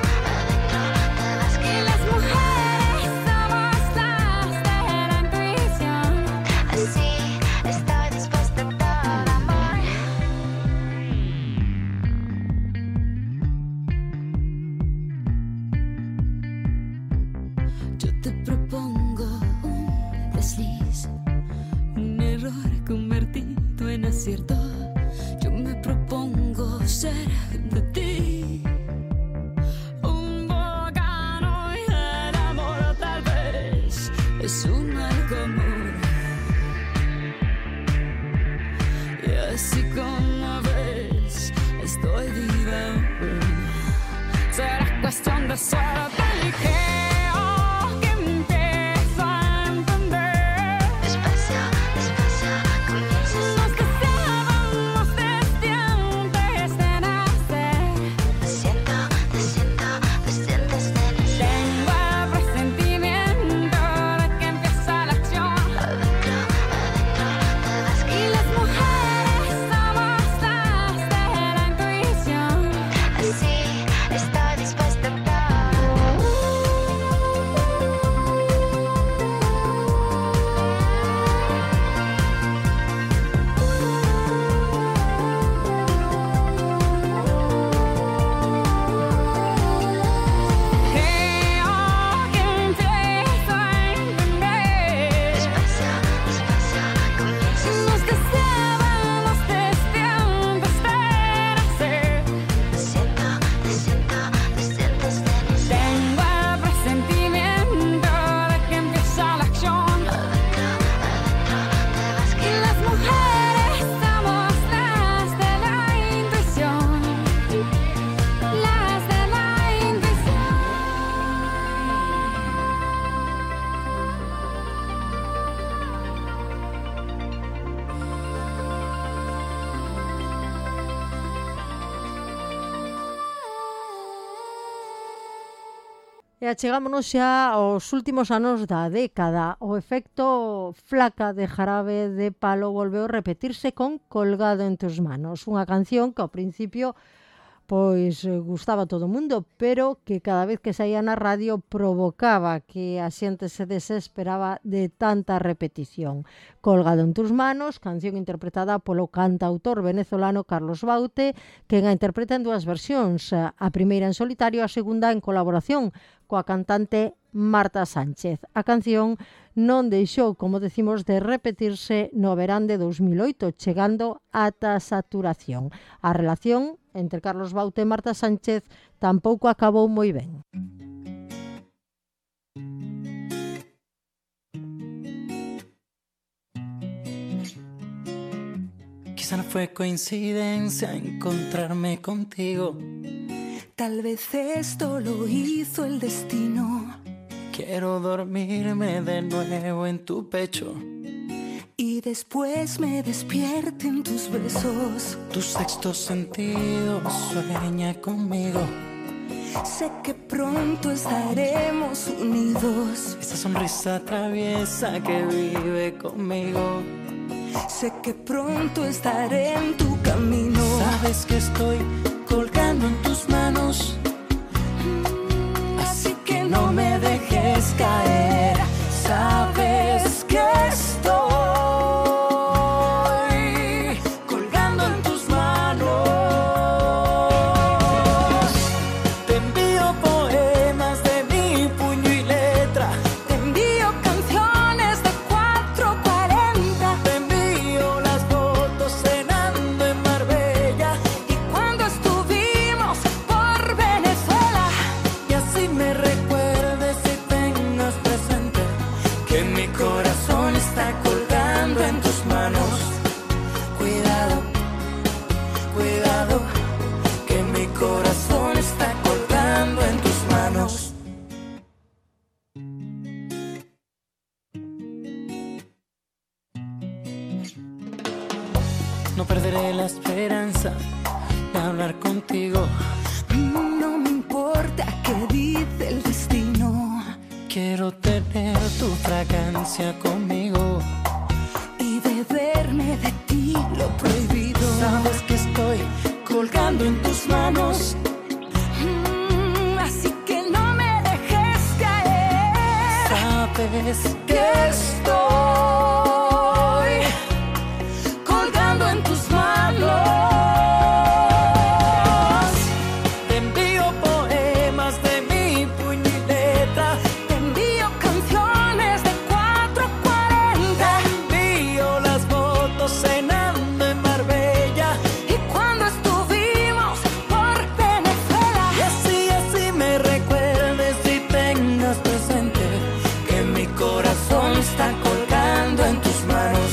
P: te vas que las mujeres somos las de la intuición. Así estoy dispuesta a todo amor. desliz, un error convertido en acierto. Yo me propongo ser de ti un bocano y el amor tal vez es un mal común. Y así como ves, estoy viva aún. Será cuestión de ser delicado que empiezo a entender. Despacio, despacio, comienzas. Los que estábamos desde antes de nacer. Te siento desde nacer. Tengo el presentimiento de que empieza la acción. Adentro, te vas. Y las mujeres somos las de la intuición. Así estoy dispuesta a
C: E achegámonos xa aos últimos anos da década. O efecto Flaca de Jarabe de Palo volveu repetirse con Colgado en tus manos, unha canción que ao principio pois gustaba a todo o mundo, pero que cada vez que saía na radio provocaba que a xente se desesperaba de tanta repetición. Colgado en tus manos, canción interpretada polo cantautor venezolano Carlos Baute, que a interpreta en dúas versións, a primeira en solitario, a segunda en colaboración coa cantante Marta Sánchez. A canción non deixou, como decimos, de repetirse no verán de 2008, chegando ata saturación. A relación entre Carlos Baute e Marta Sánchez tampouco acabou moi ben.
Q: Quizá no fue coincidencia encontrarme contigo.
P: Tal vez esto lo hizo el destino.
Q: Quiero dormirme de nuevo en tu pecho
P: y después me despierten tus besos.
Q: Tu sexto sentido sueña conmigo.
P: Sé que pronto estaremos unidos.
Q: Esa sonrisa traviesa que vive conmigo.
P: Sé que pronto estaré en tu camino.
Q: Sabes que estoy colgando en tus manos,
P: así que no me dejes caer. Sabes que estoy colgando en tus manos.
Q: Te envío poemas de mi puño y letra.
P: Te envío canciones de 440.
Q: Te envío las fotos cenando en Marbella
P: y cuando estuvimos por Venezuela.
Q: Y así me recuerdes y tengas presente que mi corazón está colgando en tus manos. Cuidado, cuidado, que mi corazón está colgando en tus manos. No perderé la esperanza de hablar contigo.
P: No me importa qué dice el destino.
Q: Quiero tener tu fragancia conmigo
P: y beberme de ti lo prohibido.
Q: Sabes que estoy colgando en tus manos,
P: así que no me dejes caer.
Q: Sabes
P: que estoy colgando en tus manos.
Q: Te envío poemas de mi puño y letra.
P: Te envío canciones de 440.
Q: está colgando en tus manos.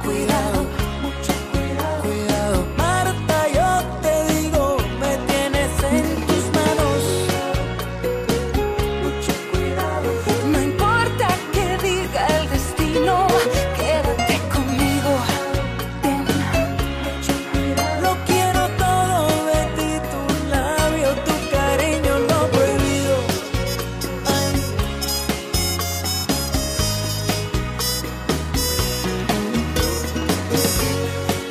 Q: Cuidado, mucho cuidado, cuidado. Marta, yo te digo, me tienes en tus manos. Mucho cuidado. No importa que diga el destino, quédate conmigo. Ven, mucho cuidado. Lo quiero todo de ti, tu labio, tu cariño, lo prohibido. Ay.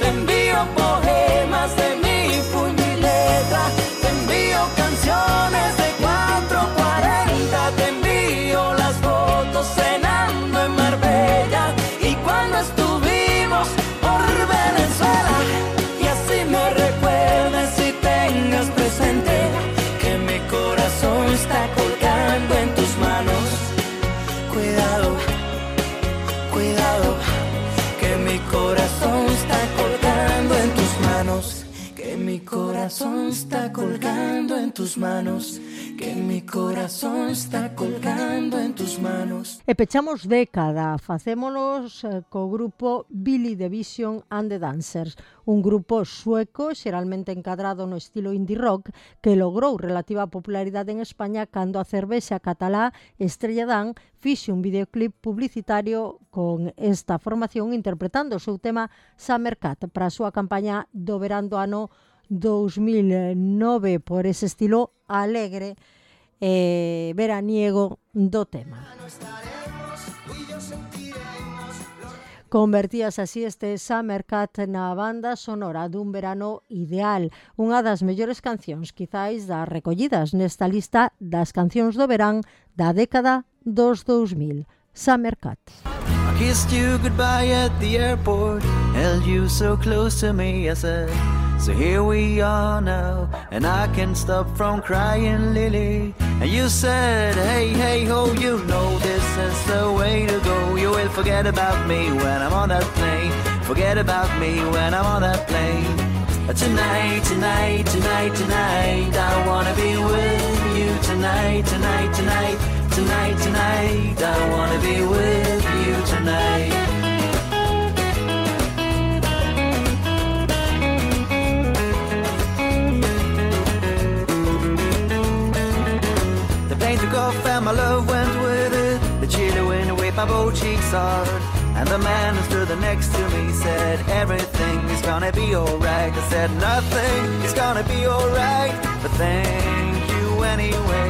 Q: Te envío poemas de mi puño y letra, te envío canciones de 440, te envío las fotos cenando en Marbella y cuando estuvimos por Venezuela. Y así me recuerdes y tengas presente que mi corazón está colgando en tus manos. Cuidado, cuidado, que mi corazón está colgando en tus manos, que mi corazón está colgando en tus manos, que mi corazón está colgando en tus manos.
C: E pechamos década, facémonos co grupo Billy the Vision and the Dancers, un grupo sueco xeralmente encadrado no estilo indie rock que logrou relativa popularidade en España cando a cervexa catalá Estrella Damm fixe un videoclip publicitario con esta formación interpretando o seu tema Summer Cat para a súa campaña do verán do ano 2009 por ese estilo alegre veraniego do tema. Convertías así este Summer Cat na banda sonora dun verano ideal, unha das mellores cancións quizáis das recollidas nesta lista das cancións do verán da década dos 2000. Summer Cat.
R: I kissed you goodbye at the airport, held you so close to me, I said, so here we are now, and I can't stop from crying, Lily. And you said, hey, hey, ho, you know this is the way to go. You will forget about me when I'm on that plane, forget about me when I'm on that plane. Tonight, tonight, tonight, tonight, I wanna be with you tonight, tonight, tonight. Tonight, tonight, I wanna be with you tonight. The plane took off and my love went with it. The chilly wind whipped my both cheeks hard. And the man who stood next to me said, everything is gonna be alright. I said, nothing is gonna be alright, but thank you anyway.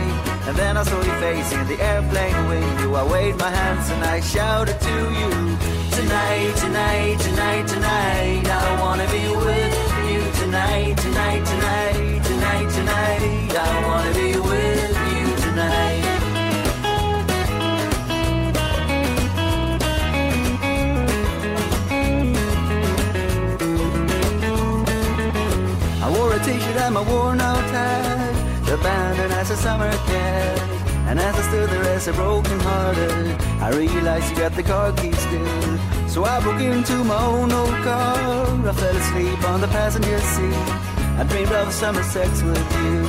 R: And then I saw your face in the airplane window. I waved my hands and I shouted to you, tonight, tonight, tonight, tonight, I wanna be with you tonight, tonight, tonight, tonight, tonight, I wanna be with you tonight. I wore a t-shirt and my worn-out hat, abandoned as a summer cat. And as I stood there as a broken hearted, I realized you got the car keys still. So I broke into my own old car. I fell asleep on the passenger seat. I dreamed of summer sex with you,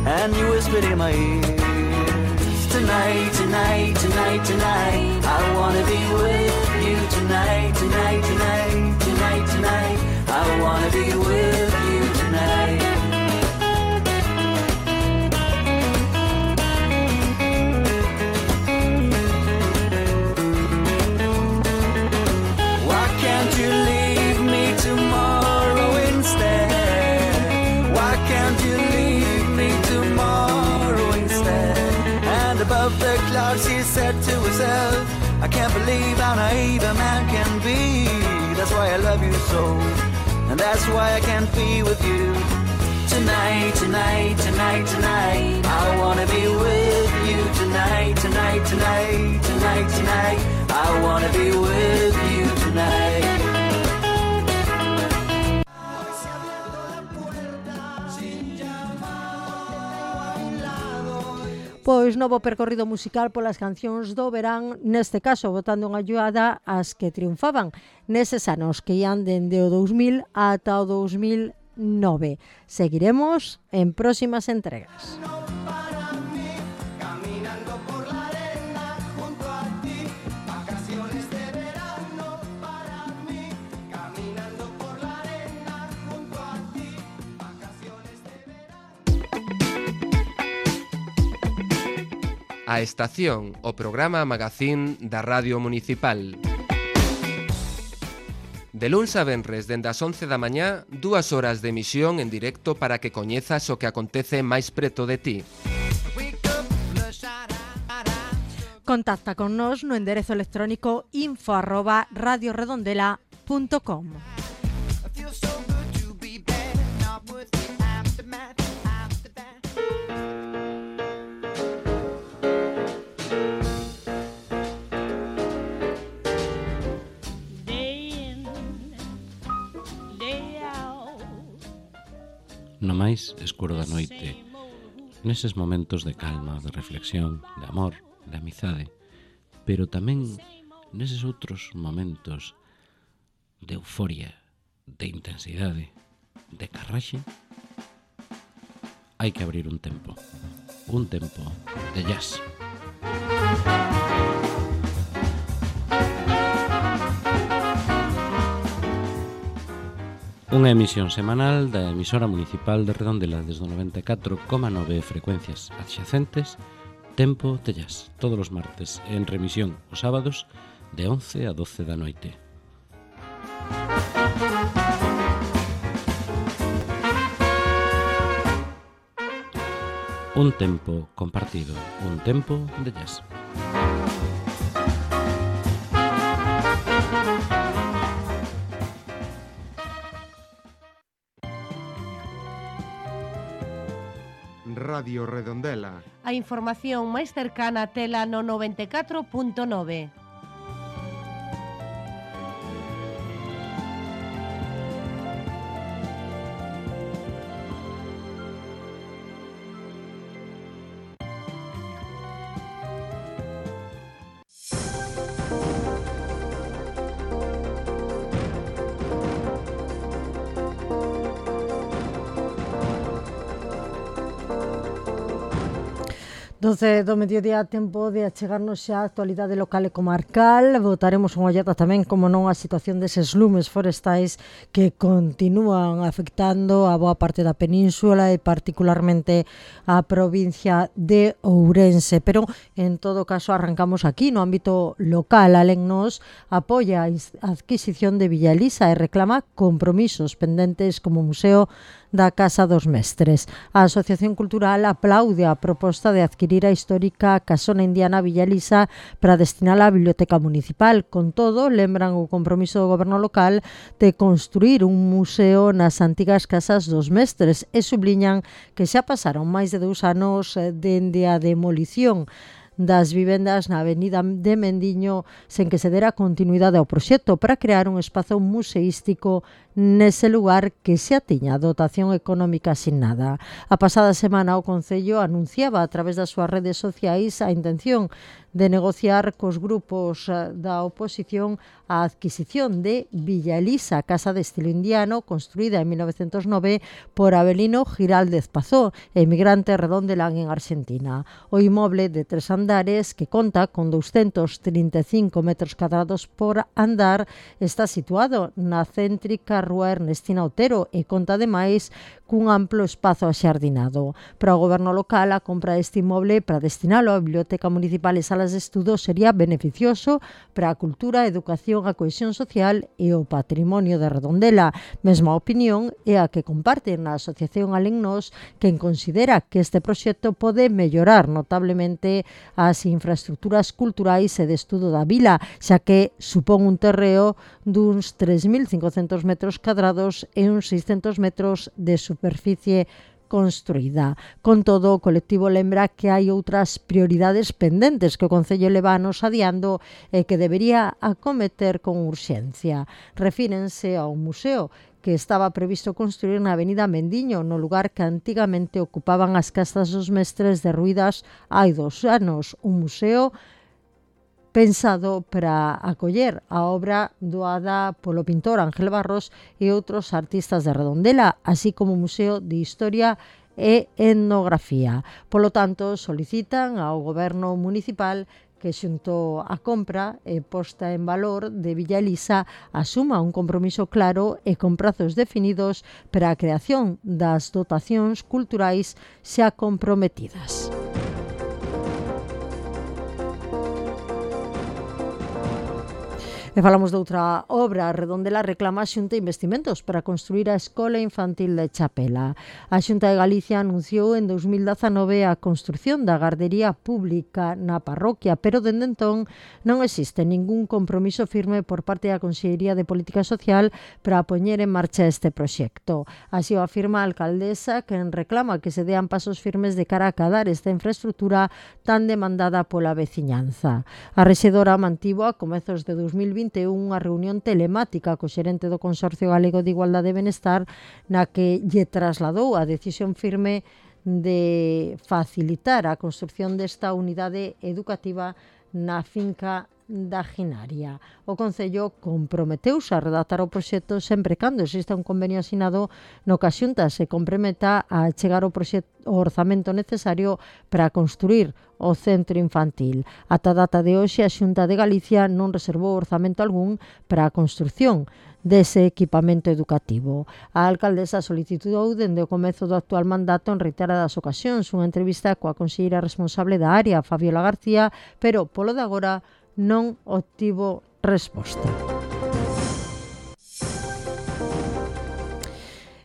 R: and you whispered in my ears, tonight, tonight, tonight, tonight, I wanna be with you tonight, tonight, tonight, tonight, tonight, I wanna be with you tonight. Above the clouds she said to herself, I can't believe how naive a man can be. That's why I love you so, and that's why I can't be with you. Tonight, tonight, tonight, tonight, I wanna be with you tonight, tonight, tonight, tonight, tonight, I wanna be with you tonight.
C: Pois novo percorrido musical polas cancións do verán, neste caso botando unha ollada ás que triunfaban neses anos que ian dende o 2000 ata o 2009. Seguiremos en próximas entregas.
I: Caminando por la arena junto a ti,
S: A Estación, o programa magazín da Radio Municipal. De luns a venres, dende as 11 da mañá, 2 horas de emisión en directo para que coñezas o que acontece máis preto de ti.
C: Contacta con nos no enderezo electrónico info@radioredondela.com.
T: No máis escuro da noite, neses momentos de calma, de reflexión, de amor, de amizade, pero tamén neses outros momentos de euforia, de intensidade, de carraxe, hai que abrir un tempo de jazz. Unha emisión semanal da emisora municipal de Redondela desde o 94,9 frecuencias adxacentes, Tempo de Jazz, todos os martes, en remisión os sábados de 11 a 12 da noite. Un tempo compartido, un tempo de jazz.
G: Radio Redondela.
H: A información máis cercana a tela no 94.9.
C: Do mediodía, tempo de achegarnos xa a actualidade local e comarcal. Botaremos unha ollada tamén, como non, a situación deses lumes forestais que continúan afectando a boa parte da península e particularmente a provincia de Ourense. Pero, en todo caso, arrancamos aquí no ámbito local. Alén nos apoia a adquisición de Villa Elisa e reclama compromisos pendentes como museo da Casa dos Mestres. A Asociación Cultural aplaude a proposta de adquirir a histórica casona indiana Villa Elisa para destinala á Biblioteca Municipal. Con todo, lembran o compromiso do goberno local de construir un museo nas antigas Casas dos Mestres e subliñan que xa pasaron máis de 2 anos dende a demolición das vivendas na avenida de Mendiño sen que se dera continuidade ao proxecto para crear un espazo museístico nese lugar que xa tiña dotación económica asignada. A pasada semana o Concello anunciaba a través das súas redes sociais a intención de negociar cos grupos da oposición a adquisición de Villa Elisa, casa de estilo indiano construída en 1909 por Avelino Giraldez Pazó, emigrante redondelán en Argentina. O inmoble de 3 andares, que conta con 235 metros cuadrados por andar, está situado na céntrica rúa Ernestina Otero e conta ademais cun amplo espazo axardinado. Para o goberno local, a compra deste inmoble para destinalo á Biblioteca Municipal e salas de estudo sería beneficioso para a cultura, a educación, a cohesión social e o patrimonio de Redondela. Mesma opinión é a que comparten na Asociación Alén nos, quen considera que este proxecto pode mellorar notablemente as infraestructuras culturais e de estudo da vila, xa que supón un terreo duns 3.500 metros cuadrados e uns 600 metros de superficie construída. Con todo, o colectivo lembra que hai outras prioridades pendentes que o Concello leva anos adiando e que debería acometer con urxencia. Refírense ao museo que estaba previsto construir na avenida Mendiño, no lugar que antigamente ocupaban as Casas dos Mestres derruídas hai 2 anos. Un museo pensado para acoller a obra doada polo pintor Ángel Barros e outros artistas de Redondela, así como Museo de Historia e Etnografía. Polo tanto, solicitan ao Goberno Municipal que xunto a compra e posta en valor de Villa Elisa asuma un compromiso claro e con prazos definidos para a creación das dotacións culturais xa comprometidas. E falamos de outra obra. A Redondela reclama a Xunta investimentos para construir a Escola Infantil de Chapela. A Xunta de Galicia anunciou en 2019 a construción da gardería pública na parroquia, pero dende entón non existe ningún compromiso firme por parte da Consellería de Política Social para poñer en marcha este proxecto. Así o afirma a alcaldesa, que reclama que se dean pasos firmes de cara a acadar esta infraestructura tan demandada pola veciñanza. A rexedora mantivo a comezos de 2021 unha reunión telemática co xerente do Consorcio Galego de Igualdade e Benestar na que lle trasladou a decisión firme de facilitar a construción desta unidade educativa na finca da Ginaria. O Concello comprometeuse a redactar o proxecto sempre cando exista un convenio asinado no que a Xunta se comprometa a chegar o orzamento necesario para construir o centro infantil. Ata a data de hoxe, a Xunta de Galicia non reservou orzamento algún para a construción dese equipamento educativo. A alcaldesa solicitou dende o comezo do actual mandato en reiteradas ocasións unha entrevista coa conselleira responsable da área, Fabiola García, pero polo de agora non obtivo resposta.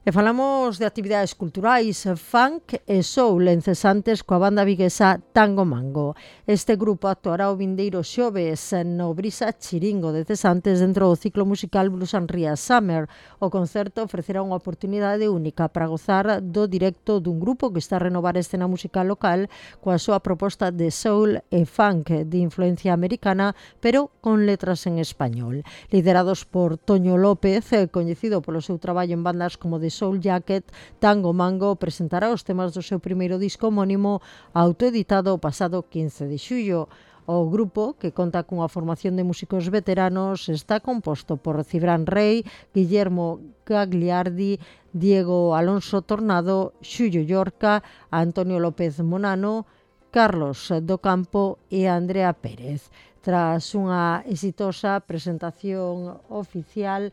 C: E falamos de actividades culturais, funk e soul encesantes coa banda viguesa Tango Mango. Este grupo actuará o vindeiro xoves no Brisa Chiringo de Cesantes dentro do ciclo musical Blues and Ria Summer. O concerto ofrecerá unha oportunidade única para gozar do directo dun grupo que está a renovar a escena musical local coa súa proposta de soul e funk de influencia americana, pero con letras en español. Liderados por Toño López, coñecido polo seu traballo en bandas como The Soul Jacket, Tango Mango presentará os temas do seu primeiro disco homónimo autoeditado o pasado 15 de xullo. O grupo, que conta cunha formación de músicos veteranos, está composto por Cibran Rey, Guillermo Gagliardi, Diego Alonso Tornado, Xullo Llorca, Antonio López Monano, Carlos do Campo e Andrea Pérez. Tras unha exitosa presentación oficial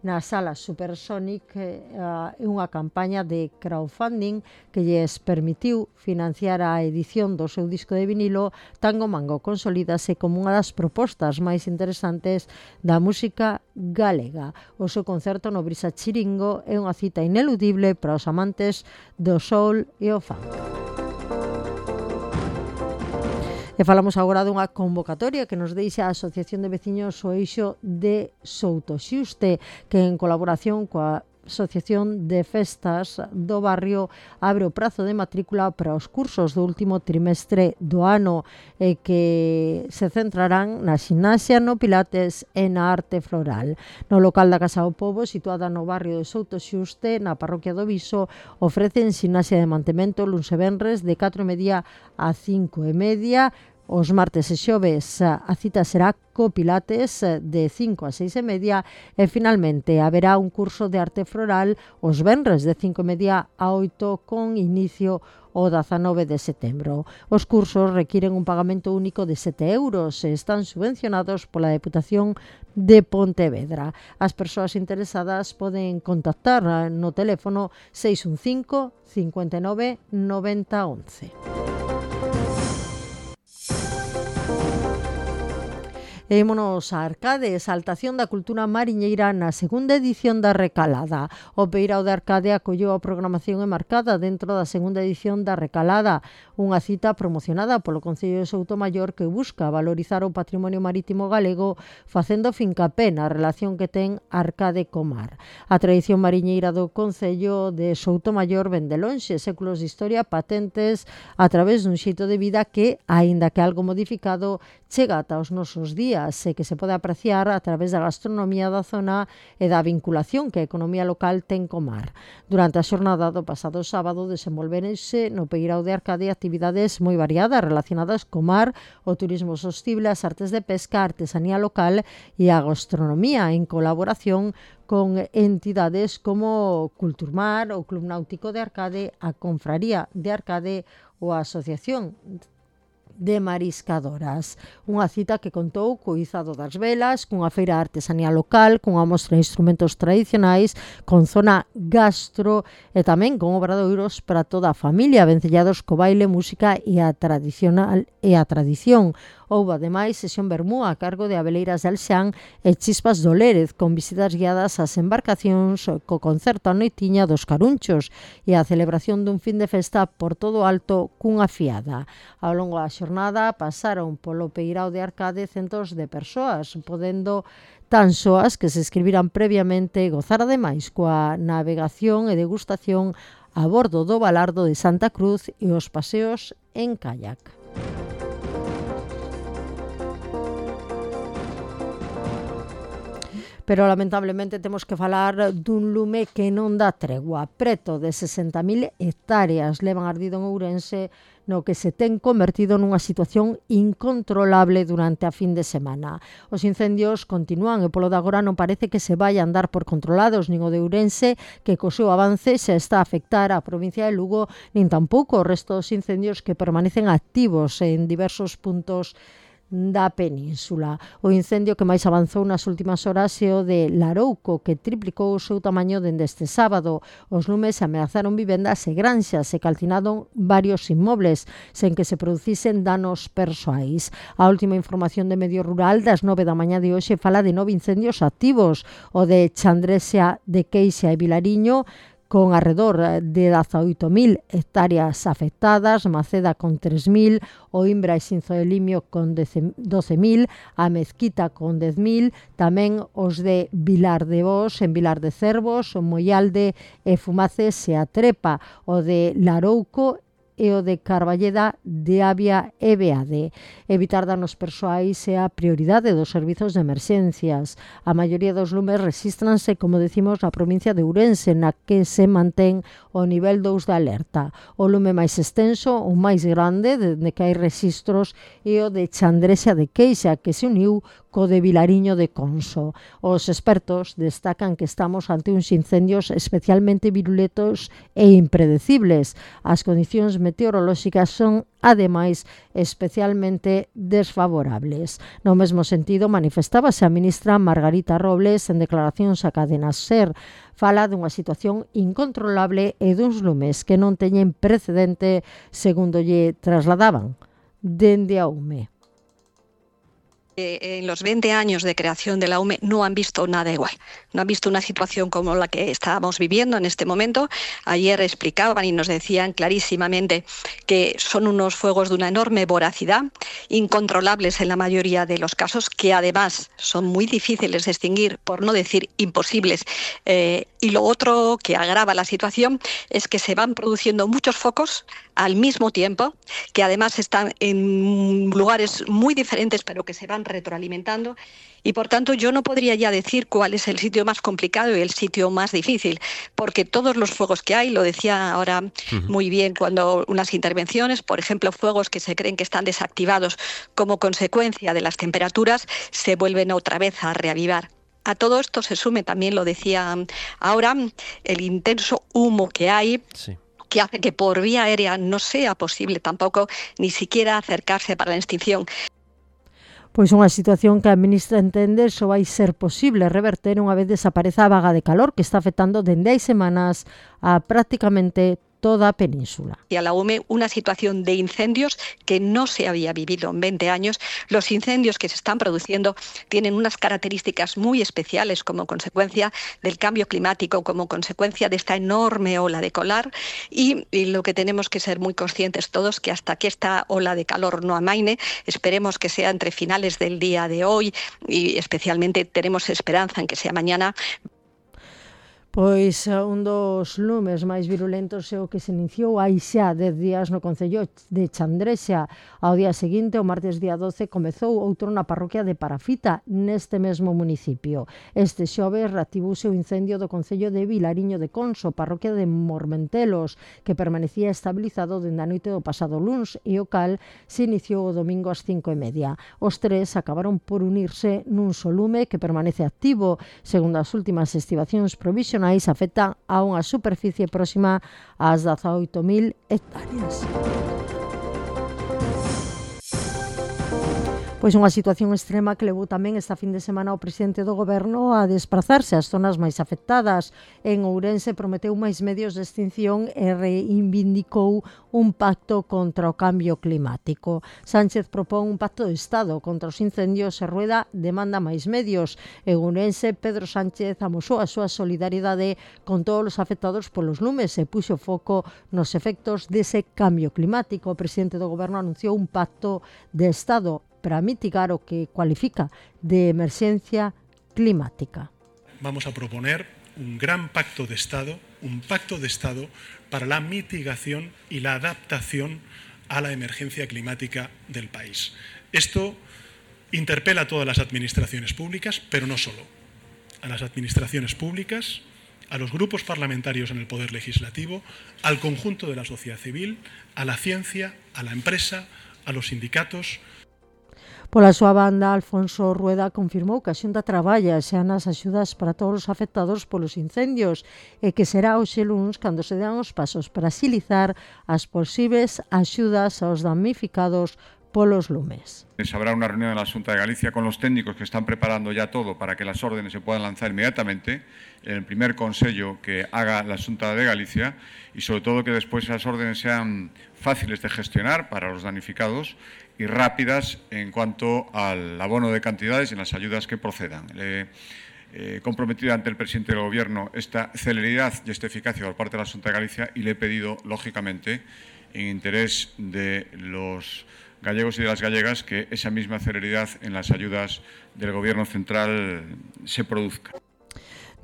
C: na sala Supersonic, e unha campaña de crowdfunding que lles permitiu financiar a edición do seu disco de vinilo, Tango Mango consolídase como unha das propostas máis interesantes da música galega. O seu concerto no Brisa Chiringo é unha cita ineludible para os amantes do soul e o funk. E falamos agora dunha convocatoria que nos deixa a Asociación de Veciños O Eixo de Soutoxuste, que en colaboración coa Asociación de Festas do Barrio abre o prazo de matrícula para os cursos do último trimestre do ano, que se centrarán na ximnasia, no pilates e na arte floral. No local da Casa do Pobo, situada no barrio de Soutoxuste, na parroquia do Viso, ofrecen ximnasia de mantemento luns e venres de 4:30 a 5:30. Os martes e xoves a cita será co pilates de 5 a 6:30 e finalmente haberá un curso de arte floral os venres de 5:30 a 8 con inicio o 19 de setembro. Os cursos requiren un pagamento único de 7 euros e están subvencionados pola Deputación de Pontevedra. As persoas interesadas poden contactar no teléfono 615 59 90 11. E ímonos a Arcade, exaltación da cultura mariñeira na segunda edición da Recalada. O Peirao de Arcade acolleu a programación enmarcada dentro da segunda edición da Recalada, unha cita promocionada polo Concello de Soutomaior que busca valorizar o patrimonio marítimo galego facendo fincapé na relación que ten Arcade co mar. A tradición mariñeira do Concello de Soutomaior vén de lonxe, séculos de historia patentes a través dun xeito de vida que, aínda que algo modificado, chega ata os nosos días e que se pode apreciar a través da gastronomía da zona e da vinculación que a economía local ten co mar. Durante a xornada do pasado sábado desenvolverense no Peirao de Arcade actividades moi variadas relacionadas co mar, o turismo sostible, as artes de pesca, a artesanía local e a gastronomía en colaboración con entidades como Culturmar, o Club Náutico de Arcade, a Confraría de Arcade ou a Asociación de Mariscadoras. Unha cita que contou co izado das velas, cunha feira de artesanía local, cunha mostra de instrumentos tradicionais, con zona gastro e tamén con obradoiros para toda a familia, vencellados co baile, música e a tradición. Houbo ademais sesión vermú a cargo de Abeleiras de Alxán e Chispas do Lérez, con visitas guiadas ás embarcacións, co concerto a noitiña dos Carunchos e a celebración dun fin de festa por todo alto cunha fiada. Ao longo da xornada pasaron polo Peirao de Arcade centos de persoas, podendo tan só as que se escribiran previamente gozar ademais coa navegación e degustación a bordo do Balardo de Santa Cruz e os paseos en kayak. Pero lamentablemente temos que falar dun lume que non dá tregua. Preto de 60.000 hectáreas levan ardido en Ourense, no que se ten convertido nunha situación incontrolable durante a fin de semana. Os incendios continúan e polo de agora non parece que se vai a andar por controlados, nin o de Ourense, que co seu avance xa está a afectar a provincia de Lugo, nin tampouco o resto dos incendios que permanecen activos en diversos puntos da península. O incendio que máis avanzou nas últimas horas é o de Larouco, que triplicou o seu tamaño dende este sábado. Os lumes ameazaron vivendas e granxas e calcinaron varios inmobles, sen que se producisen danos persoais. A última información de Medio Rural das 9 da mañá de hoxe fala de 9 incendios activos, o de Chandresia de Queixa e Vilariño, con arredor de 18.000 hectáreas afectadas, Maceda con 3.000, o Imbra e Sinzo de Limio con 12.000, a Mezquita con 10.000, tamén os de Vilar de Bos, en Vilar de Cervos, o Moialde e Fumaces e a Trepa, o de Larouco e o de Carballeda de Avia e Beade. Evitar danos persoais é a prioridade dos servizos de emerxencias. A maioría dos lumes resístranse, como decimos, na provincia de Ourense, na que se mantén o nivel 2 de alerta. O lume máis extenso, o máis grande, dende que hai registros, é o de Chandresia de Queixa, que se uniu co de Vilariño de Conso. Os expertos destacan que estamos ante uns incendios especialmente virulentos e impredecibles. As condicións meteorolóxicas son, ademais, especialmente desfavorables. No mesmo sentido, manifestábase a ministra Margarita Robles en declaracións a Cadena SER. Fala dunha situación incontrolable e duns lumes que non teñen precedente, segundo lle trasladaban dende a UME.
U: En los 20 años de creación de la UME no han visto nada igual, no han visto una situación como la que estábamos viviendo en este momento. Ayer explicaban y nos decían clarísimamente que son unos fuegos de una enorme voracidad, incontrolables en la mayoría de los casos, que además son muy difíciles de extinguir, por no decir imposibles. Y lo otro que agrava la situación es que se van produciendo muchos focos al mismo tiempo, que además están en lugares muy diferentes, pero que se van retroalimentando, y por tanto yo no podría ya decir cuál es el sitio más complicado y el sitio más difícil, porque todos los fuegos que hay, lo decía ahora muy bien cuando unas intervenciones, por ejemplo, fuegos que se creen que están desactivados como consecuencia de las temperaturas, se vuelven otra vez a reavivar. A todo esto se sume, también lo decía ahora, el intenso humo que hay, que hace que por vía aérea no sea posible tampoco ni siquiera acercarse para la extinción.
C: Pois unha situación que a ministra entende só vai ser posible reverter unha vez desapareza a vaga de calor que está afectando dende hai semanas a prácticamente toda a península.
U: Y a la UME una situación de incendios que no se había vivido en 20 años. Los incendios que se están produciendo tienen unas características muy especiales como consecuencia del cambio climático, como consecuencia de esta enorme ola de calor, y lo que tenemos que ser muy conscientes todos que hasta que esta ola de calor no amaine, esperemos que sea entre finales del día de hoy y especialmente tenemos esperanza en que sea mañana.
C: Pois un dos lumes máis virulentos é o que se iniciou hai xa 10 días no concello de Chandrexa. Ao día seguinte, o martes día 12, comezou outro na parroquia de Parafita, neste mesmo municipio. Este xoves reactivouse o incendio do concello de Vilariño de Conso, parroquia de Mormentelos, que permanecía estabilizado dende a noite do pasado luns e o cal se iniciou o domingo ás 5:30. Os tres acabaron por unirse nun só lume que permanece activo. Segundo as últimas estimacións provisionais, afecta a unha superficie próxima ás 18.000 hectáreas. Pois unha situación extrema que levou tamén esta fin de semana o presidente do goberno a desplazarse ás zonas máis afectadas. En Ourense prometeu máis medios de extinción e reivindicou un pacto contra o cambio climático. Sánchez propón un pacto de Estado contra os incendios e Rueda demanda máis medios. En Ourense, Pedro Sánchez amosou a súa solidariedade con todos os afectados polos lumes e puxo foco nos efectos dese cambio climático. O presidente do goberno anunciou un pacto de Estado para mitigar o que cualifica de emerxencia climática.
A: Vamos a proponer un gran pacto de Estado, para la mitigación y la adaptación a la emergencia climática del país. Esto interpela a todas las administraciones públicas, pero no solo. A las administraciones públicas, a los grupos parlamentarios en el Poder Legislativo, al conjunto de la sociedad civil, a la ciencia, a la empresa, a los sindicatos.
C: Pola súa banda, Alfonso Rueda confirmou que a Xunta traballa xa nas axudas para todos os afectados polos incendios e que será hoxe luns cando se dean os pasos para axilizar as posibles axudas aos damnificados polos lumes.
V: Habrá una reunión en la Xunta de Galicia con los técnicos que están preparando ya todo para que las órdenes se puedan lanzar inmediatamente en el primer consello que haga la Xunta de Galicia y sobre todo que después esas órdenes sean fáciles de gestionar para los damnificados y rápidas en cuanto al abono de cantidades y en las ayudas que procedan. He comprometido ante el presidente del Gobierno esta celeridad y esta eficacia por parte de la Xunta de Galicia y le he pedido, lógicamente, en interés de los gallegos y de las gallegas, que esa misma celeridad en las ayudas del Gobierno central se produzca.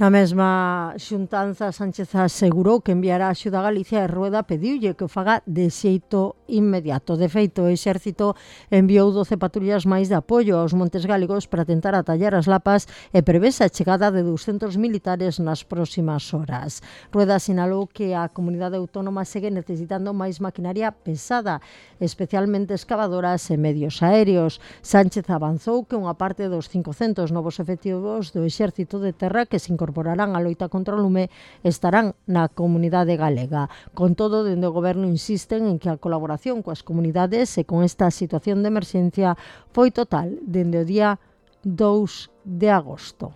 C: Na mesma xuntanza, Sánchez asegurou que enviará axuda a Galicia e Rueda pediulle que o faga de xeito inmediato. De feito, o Exército enviou 12 patrullas máis de apoio aos Montes Galegos para tentar atallar as lapas e prevese a chegada de 200 militares nas próximas horas. Rueda sinalou que a comunidade autónoma segue necesitando máis maquinaria pesada, especialmente excavadoras e medios aéreos. Sánchez avanzou que unha parte dos 500 novos efectivos do Exército de Terra que se incorporarán á loita contra o lume estarán na comunidade galega. Con todo, dende o goberno insisten en que a colaboración coas comunidades e con esta situación de emerxencia foi total dende o día 2 de agosto.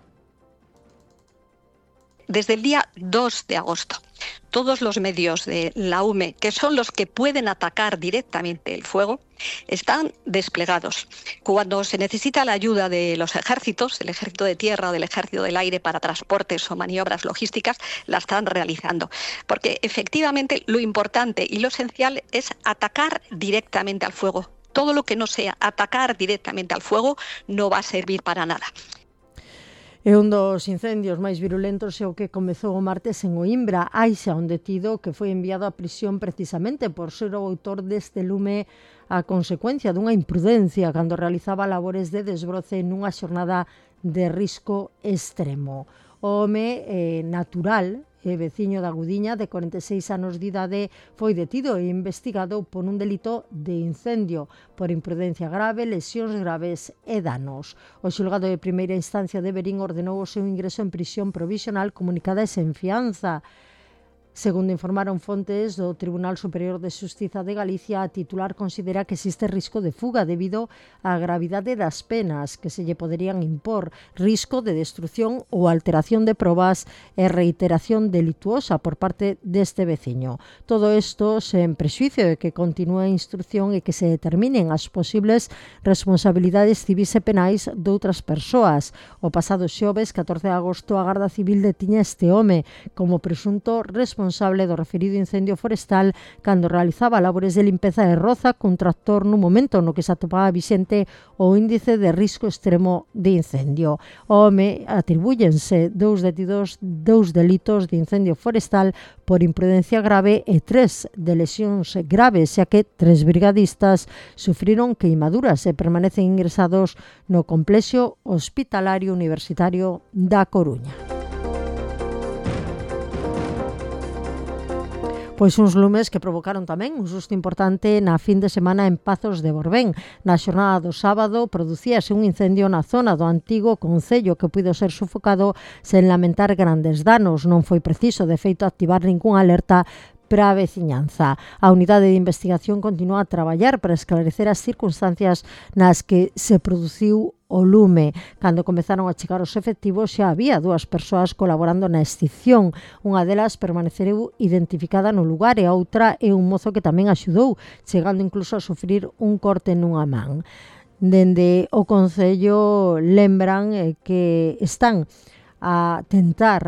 U: Desde el día 2 de agosto, todos los medios de la UME, que son los que pueden atacar directamente el fuego, están desplegados. Cuando se necesita la ayuda de los ejércitos, del ejército de tierra o del ejército del aire para transportes o maniobras logísticas, la están realizando. Porque efectivamente lo importante y lo esencial es atacar directamente al fuego. Todo lo que no sea atacar directamente al fuego no va a servir para nada.
C: E un dos incendios máis virulentos é o que comezou o martes en Oimbra. Hai xa un detido que foi enviado a prisión precisamente por ser o autor deste lume a consecuencia dunha imprudencia cando realizaba labores de desbroce nunha xornada de risco extremo. O home natural e veciño da Gudiña, de 46 anos de idade, foi detido e investigado por un delito de incendio, por imprudencia grave, lesións graves e danos. O xulgado de primeira instancia de Verín ordenou o seu ingreso en prisión provisional comunicada e sen fianza. Segundo informaron fontes do Tribunal Superior de Xustiza de Galicia, a titular considera que existe risco de fuga debido á gravidade das penas que se lle poderían impor, risco de destrucción ou alteración de probas e reiteración delituosa por parte deste veciño. Todo isto sen prexuicio de que continúe a instrucción e que se determinen as posibles responsabilidades civis e penais doutras persoas. O pasado xoves, 14 de agosto, a Garda Civil detiña este home como presunto responsable do referido incendio forestal cando realizaba labores de limpeza de roza cun tractor no momento no que se atopaba vixente o índice de risco extremo de incendio. O home atribúyense dous delitos de incendio forestal por imprudencia grave e 3 de lesións graves, xa que 3 brigadistas sufriron queimaduras e permanecen ingresados no complexo hospitalario universitario da Coruña. Pois uns lumes que provocaron tamén un susto importante na fin de semana en Pazos de Borbén. Na xornada do sábado producíase un incendio na zona do antigo concello que puido ser sufocado sen lamentar grandes danos. Non foi preciso, de feito, activar ninguna alerta para a veciñanza. A unidade de investigación continúa a traballar para esclarecer as circunstancias nas que se produciu o lume. Cando comezaron a chegar os efectivos xa había 2 persoas colaborando na extinción. Unha delas permaneceu identificada no lugar e a outra é un mozo que tamén axudou, chegando incluso a sufrir un corte nunha man. Dende o Concello lembran que están a tentar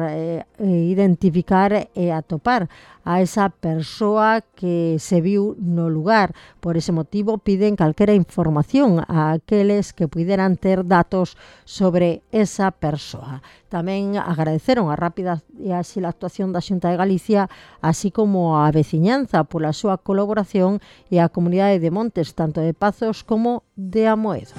C: identificar e atopar a esa persoa que se viu no lugar. Por ese motivo piden calquera información a aqueles que puderan ter datos sobre esa persoa. Tamén agradeceron a rápida e áxil actuación da Xunta de Galicia, así como a veciñanza pola súa colaboración e a comunidade de Montes, tanto de Pazos como de Amoedo.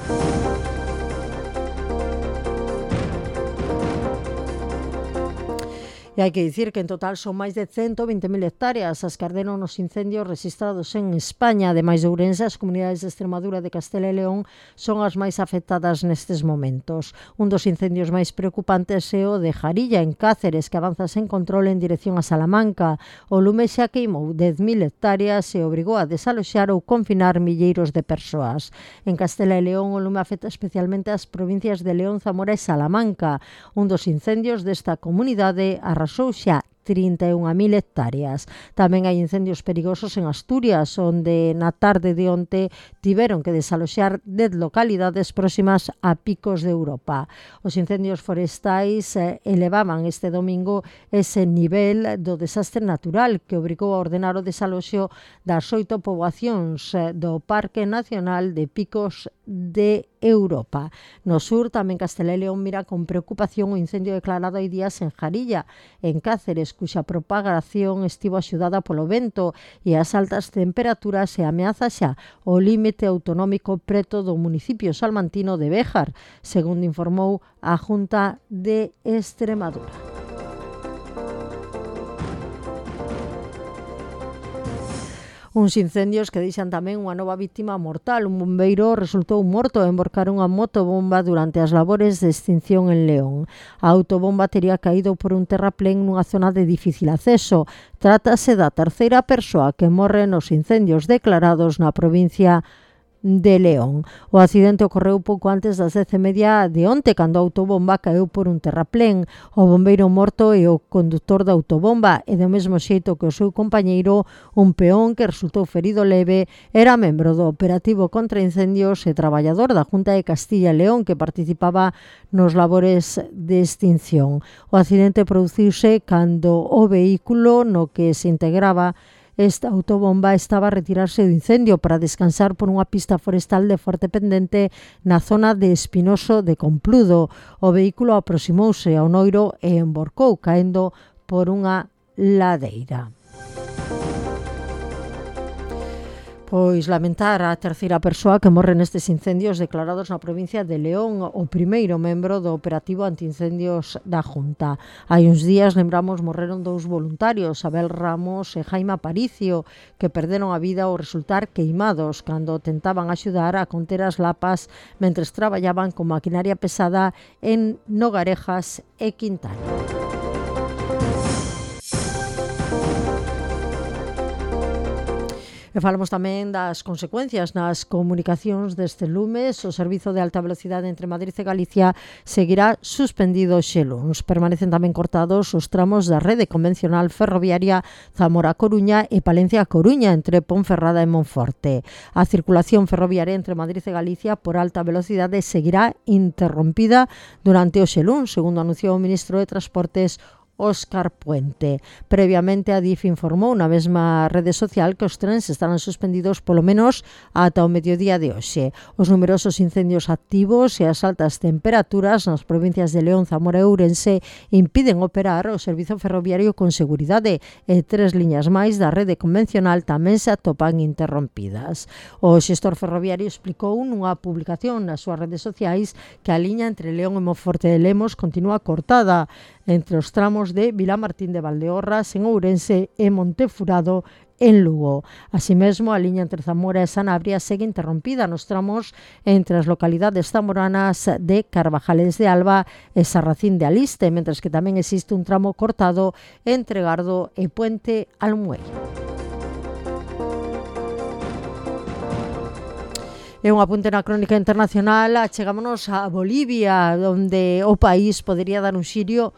C: E hai que dicir que en total son máis de 120.000 hectáreas as que arderon nos incendios registrados en España. Ademais de Ourense, as comunidades de Extremadura, de Castela e León son as máis afectadas nestes momentos. Un dos incendios máis preocupantes é o de Jarilla, en Cáceres, que avanza sen control en dirección a Salamanca. O lume xa queimou 10.000 hectáreas e obrigou a desaloxar ou confinar milleiros de persoas. En Castela e León, o lume afecta especialmente as provincias de León, Zamora e Salamanca. Un dos incendios desta comunidade arrasou xa 31.000 hectáreas. Tamén hai incendios perigosos en Asturias, onde na tarde de onte tiveron que desaloxar 10 localidades próximas a picos de Europa. Os incendios forestais elevaban este domingo ese nivel do desastre natural que obrigou a ordenar o desaloxo das 8 poboacións do Parque Nacional de Picos de Europa. No sur, tamén Castela e León mira con preocupación o incendio declarado hai días en Jarilla, en Cáceres, cuxa propagación estivo axudada polo vento e as altas temperaturas e ameaza xa o límite autonómico preto do municipio salmantino de Béjar, segundo informou a Junta de Extremadura. Uns incendios que deixan tamén unha nova vítima mortal. Un bombeiro resultou morto ao envorcar unha motobomba durante as labores de extinción en León. A autobomba tería caído por un terraplén nunha zona de difícil acceso. Trátase da terceira persoa que morre nos incendios declarados na provincia de León. O accidente ocorreu pouco antes das 10:30 de onte, cando a autobomba caeu por un terraplén. O bombeiro morto e o conductor da autobomba, e do mesmo xeito que o seu compañeiro, un peón que resultou ferido leve, era membro do operativo contra incendios e traballador da Junta de Castilla e León que participaba nos labores de extinción. O accidente produciuse cando o vehículo no que se integraba esta autobomba estaba a retirarse do incendio para descansar por unha pista forestal de forte pendente na zona de Espinoso de Compludo. O vehículo aproximouse ao noiro e envorcou, caendo por unha ladeira. Pois lamentar a terceira persoa que morre nestes incendios declarados na provincia de León, o primeiro membro do operativo antiincendios da Junta. Hai uns días, lembramos, morreron 2 voluntarios, Abel Ramos e Jaime Aparicio, que perderon a vida ao resultar queimados cando tentaban axudar a conter as lapas mentres traballaban con maquinaria pesada en Nogarejas e Quintana. E falamos tamén das consecuencias nas comunicacións deste lume. O servizo de alta velocidade entre Madrid e Galicia seguirá suspendido xe luns. Permanecen tamén cortados os tramos da rede convencional ferroviaria Zamora-Coruña e Palencia-Coruña entre Ponferrada e Monforte. A circulación ferroviaria entre Madrid e Galicia por alta velocidade seguirá interrompida durante o xe luns, segundo anunciou o ministro de Transportes Óscar Puente. Previamente, a DIF informou na mesma rede social que os trens estarán suspendidos polo menos ata o mediodía de hoxe. Os numerosos incendios activos e as altas temperaturas nas provincias de León, Zamora e Ourense impiden operar o servizo ferroviario con seguridade e 3 liñas máis da rede convencional tamén se atopan interrompidas. O xestor ferroviario explicou nunha publicación nas súas redes sociais que a liña entre León e Monforte de Lemos continúa cortada entre os tramos de Vilamartín de Valdeorras en Ourense e Montefurado en Lugo. Así mesmo, a liña entre Zamora e Sanabria segue interrompida nos tramos entre as localidades zamoranas de Carvajales de Alba e Sarracín de Aliste, mentres que tamén existe un tramo cortado entre Gardo e Puente Almuel. E un apunte na crónica internacional, chegámonos a Bolivia, onde o país podería dar un xiro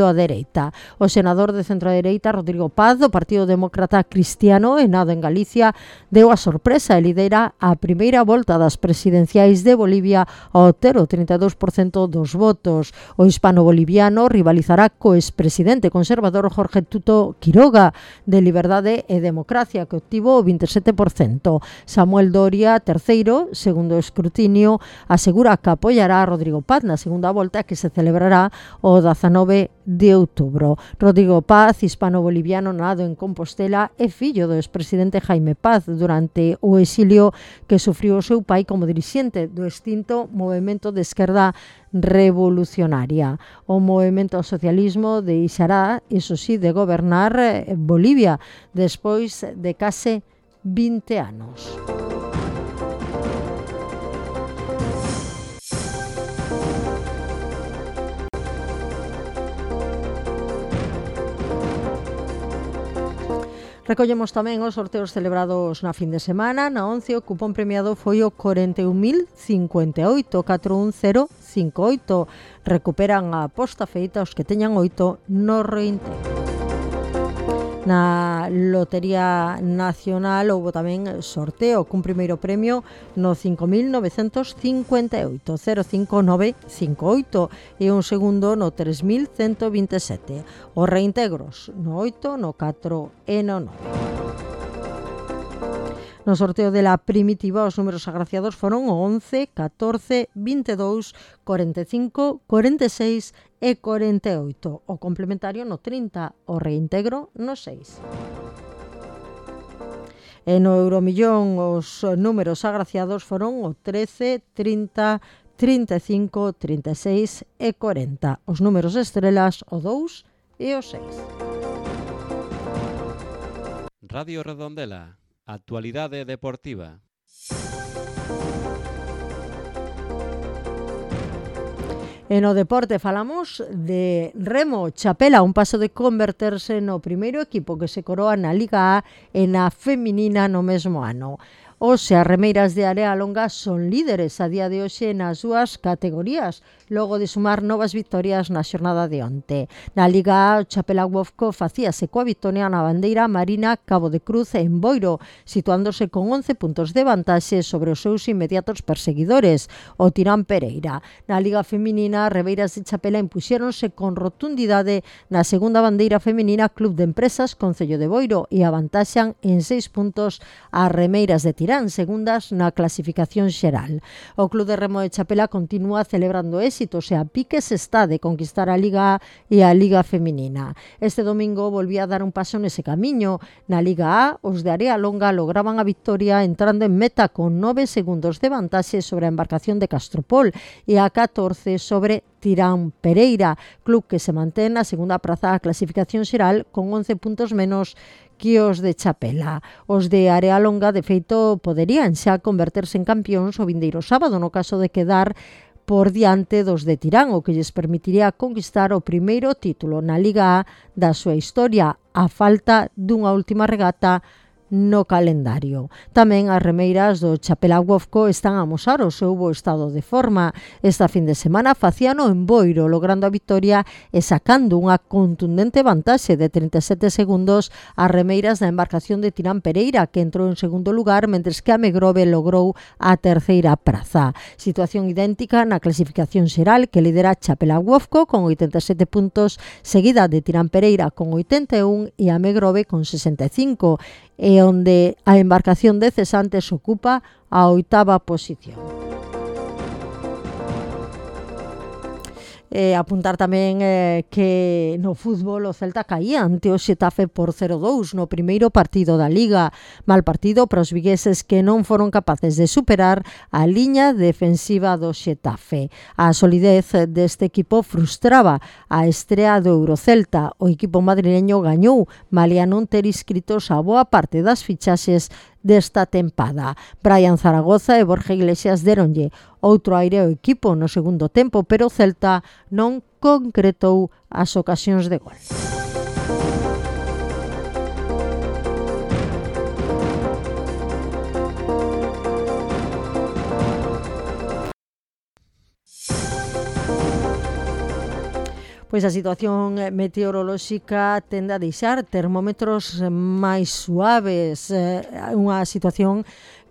C: á dereita. O senador de centro-dereita Rodrigo Paz, do Partido Demócrata Cristiano, e nado en Galicia, deu a sorpresa e lidera a primeira volta das presidenciais de Bolivia ao ter o 32% dos votos. O hispano-boliviano rivalizará co expresidente conservador Jorge Tuto Quiroga, de Liberdade e Democracia, que obtivo o 27%. Samuel Doria, terceiro, segundo escrutinio, asegura que apoiará a Rodrigo Paz na segunda volta, que se celebrará o 19 de outubro. Rodrigo Paz, hispano-boliviano nado en Compostela, é fillo do expresidente Jaime Paz durante o exilio que sufriu o seu pai como dirixente do extinto Movemento de Esquerda Revolucionaria. O movemento socialismo deixará, iso sí, de gobernar Bolivia despois de case 20 anos. Recollemos tamén os sorteos celebrados na fin de semana. Na 11 o cupón premiado foi o 41.058, 41058. Recuperan a aposta feita os que teñan 8 no reintegro. Na Lotería Nacional houbo tamén sorteo cun primeiro premio no 5.958, 05958, e un segundo no 3.127. Os reintegros no 8, no 4 e no 9. No sorteo de la primitiva, os números agraciados foron o 11, 14, 22, 45, 46 e 48. O complementario no 30, o reintegro no 6. E no Euromillón, os números agraciados foron o 13, 30, 35, 36 e 40. Os números estrelas, o 2 e o 6.
B: Radio Redondela. Actualidade deportiva.
C: E no deporte falamos de remo. Chapela, un paso de converterse no primeiro equipo que se coroa na Liga A e na feminina no mesmo ano. Os remeiras de Area Longa son líderes a día de hoxe nas súas categorías, logo de sumar novas vitorias na xornada de onte. Na Liga A, o Chapela Wofco facíase coa vitoria na bandeira Marina Cabo de Cruz en Boiro, situándose con 11 puntos de vantaxe sobre os seus inmediatos perseguidores, o Tirán Pereira. Na Liga Feminina, Ribeiras de Chapela impuxéronse con rotundidade na segunda bandeira feminina Club de Empresas Concello de Boiro e avantaxan en 6 puntos as remeiras de Tirán, segundas na clasificación xeral. O Club de Remo de Chapela continúa celebrando éxitos e a piques está de conquistar a Liga A e a Liga Feminina. Este domingo volvía a dar un paso nese camiño. Na Liga A, os de Area Longa lograban a victoria entrando en meta con 9 segundos de vantaxe sobre a embarcación de Castropol e a 14 sobre Tirán Pereira, club que se mantén na segunda praza da clasificación xeral con 11 puntos menos que os de Chapela. Os de Area Longa, de feito, poderían xa converterse en campións o vindeiro sábado no caso de quedar por diante dos de Tirán, o que lles permitiría conquistar o primeiro título na Liga A da súa historia, a falta dunha última regata no calendario. Tamén as remeiras do Chapela Wofco están a amosar o seu bo estado de forma. Esta fin de semana facíano en Boiro, logrando a victoria e sacando unha contundente vantaxe de 37 segundos as remeiras da embarcación de Tirán Pereira, que entrou en segundo lugar, mentres que a Megrove logrou a terceira praza. Situación idéntica na clasificación xeral, que lidera Chapela Wofco con 87 puntos, seguida de Tirán Pereira con 81 e a Megrove con 65, e onde a embarcación de cesantes ocupa a 8ª posición. Apuntar tamén que no fútbol o Celta caía ante o Xetafe por 0-2 no primeiro partido da Liga. Mal partido para os vigueses que non foron capaces de superar a liña defensiva do Xetafe. A solidez deste equipo frustraba a estrea do Eurocelta. O equipo madrileño gañou, malia non ter inscritos a boa parte das fichaxes desta tempada. Brian Zaragoza e Borja Iglesias deronlle outro aire ao equipo no segundo tempo, pero o Celta non concretou as ocasións de gol. Pois a situación meteorolóxica tende a deixar termómetros máis suaves, unha situación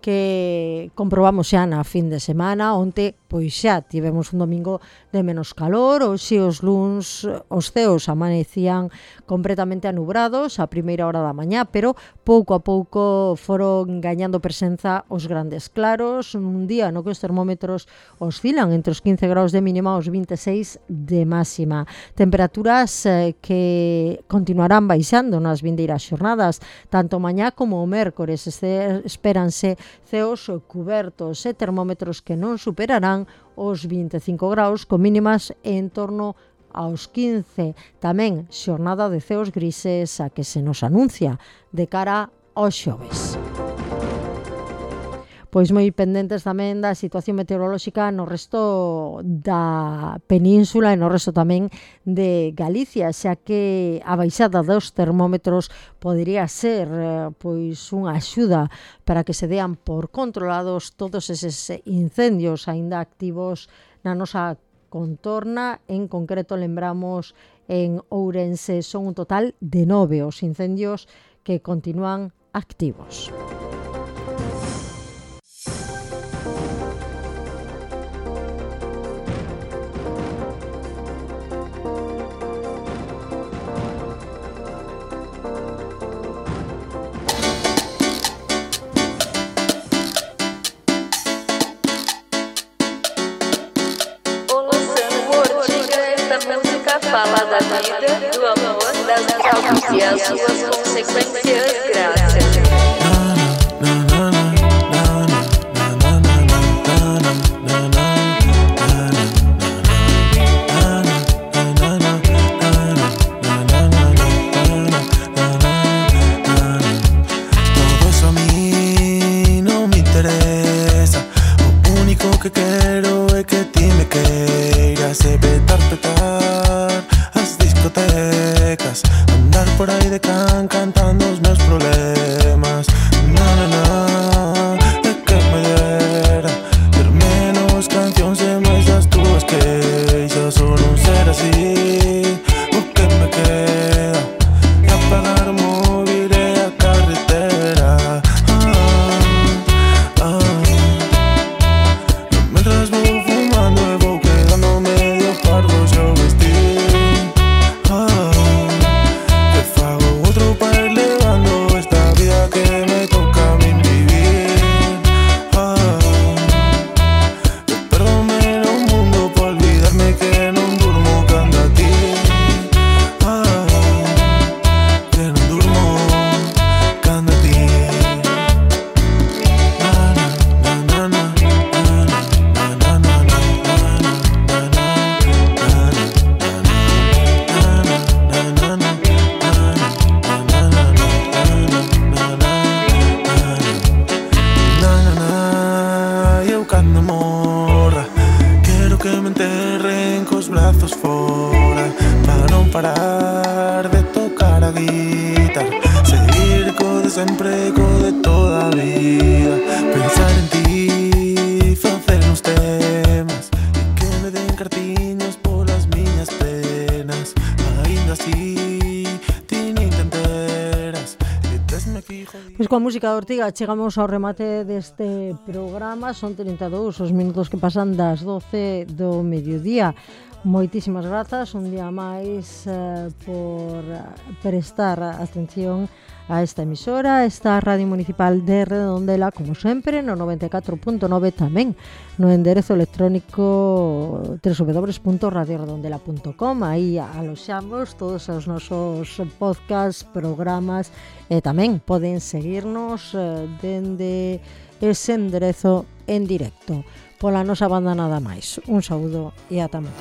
C: que comprobamos xa na fin de semana. Onte, pois xa tivemos un domingo de menos calor, hoxe os luns os ceos amanecían completamente anubrados a primeira hora da mañá, pero pouco a pouco foron gañando presenza os grandes claros, un día no que os termómetros oscilan entre os 15 graus de mínima e os 26 de máxima. Temperaturas que continuarán baixando nas vindeiras xornadas, tanto mañá como o mércores. Espéranse ceos cubertos e termómetros que non superarán os 25 graus, con mínimas en torno aos 15. Tamén xornada de ceos grises a que se nos anuncia de cara aos xoves. Pois moi pendentes tamén da situación meteorolóxica no resto da península e no resto tamén de Galicia, xa que a baixada dos termómetros podería ser pois unha axuda para que se dean por controlados todos eses incendios aínda activos na nosa contorna. En concreto, lembramos, en Ourense son un total de 9 os incendios que continúan activos.
D: Fala da vida, do amor, das drogas e as suas consequências graves.
E: Todo eso a mí no me interesa. O único que quero é que ti me queiras e petar as discotecas, andar por aí de can cantando os meus problemas. É que me dera ter menos cancións e máis das túas queixas, ou non ser así. O que me queda é apagar o móvil e a carretera. Mentras vou fumando e vou quedando medio parvo yo vestir. Que fago outro para ir levando esta vida que me toca a mí vivir. Que perdome no mundo por olvidarme que non durmo cando a ti. Que non durmo cando a ti. Eu cando morra quero que me enterren cos brazos fora, para non parar de tocar a guitarra, seguir co de sempre, co de toda a vida, pensar en ti, facer uns temas e que me den cartiños polas miñas penas. Ainda así ti nin te enteras e tesme fijo.
C: Pois coa música de Ortiga chegamos ao remate deste programa. Son 32 os minutos que pasan das 12 do mediodía. moitísimas grazas un día máis por prestar atención a esta emisora, esta Radio Municipal de Redondela, como sempre, no 94.9, tamén no enderezo electrónico www.radioredondela.com. Aí aloxamos todos os nosos podcasts, programas, e tamén poden seguirnos dende ese enderezo en directo. Pola nosa banda nada máis. Un saúdo e ata máis.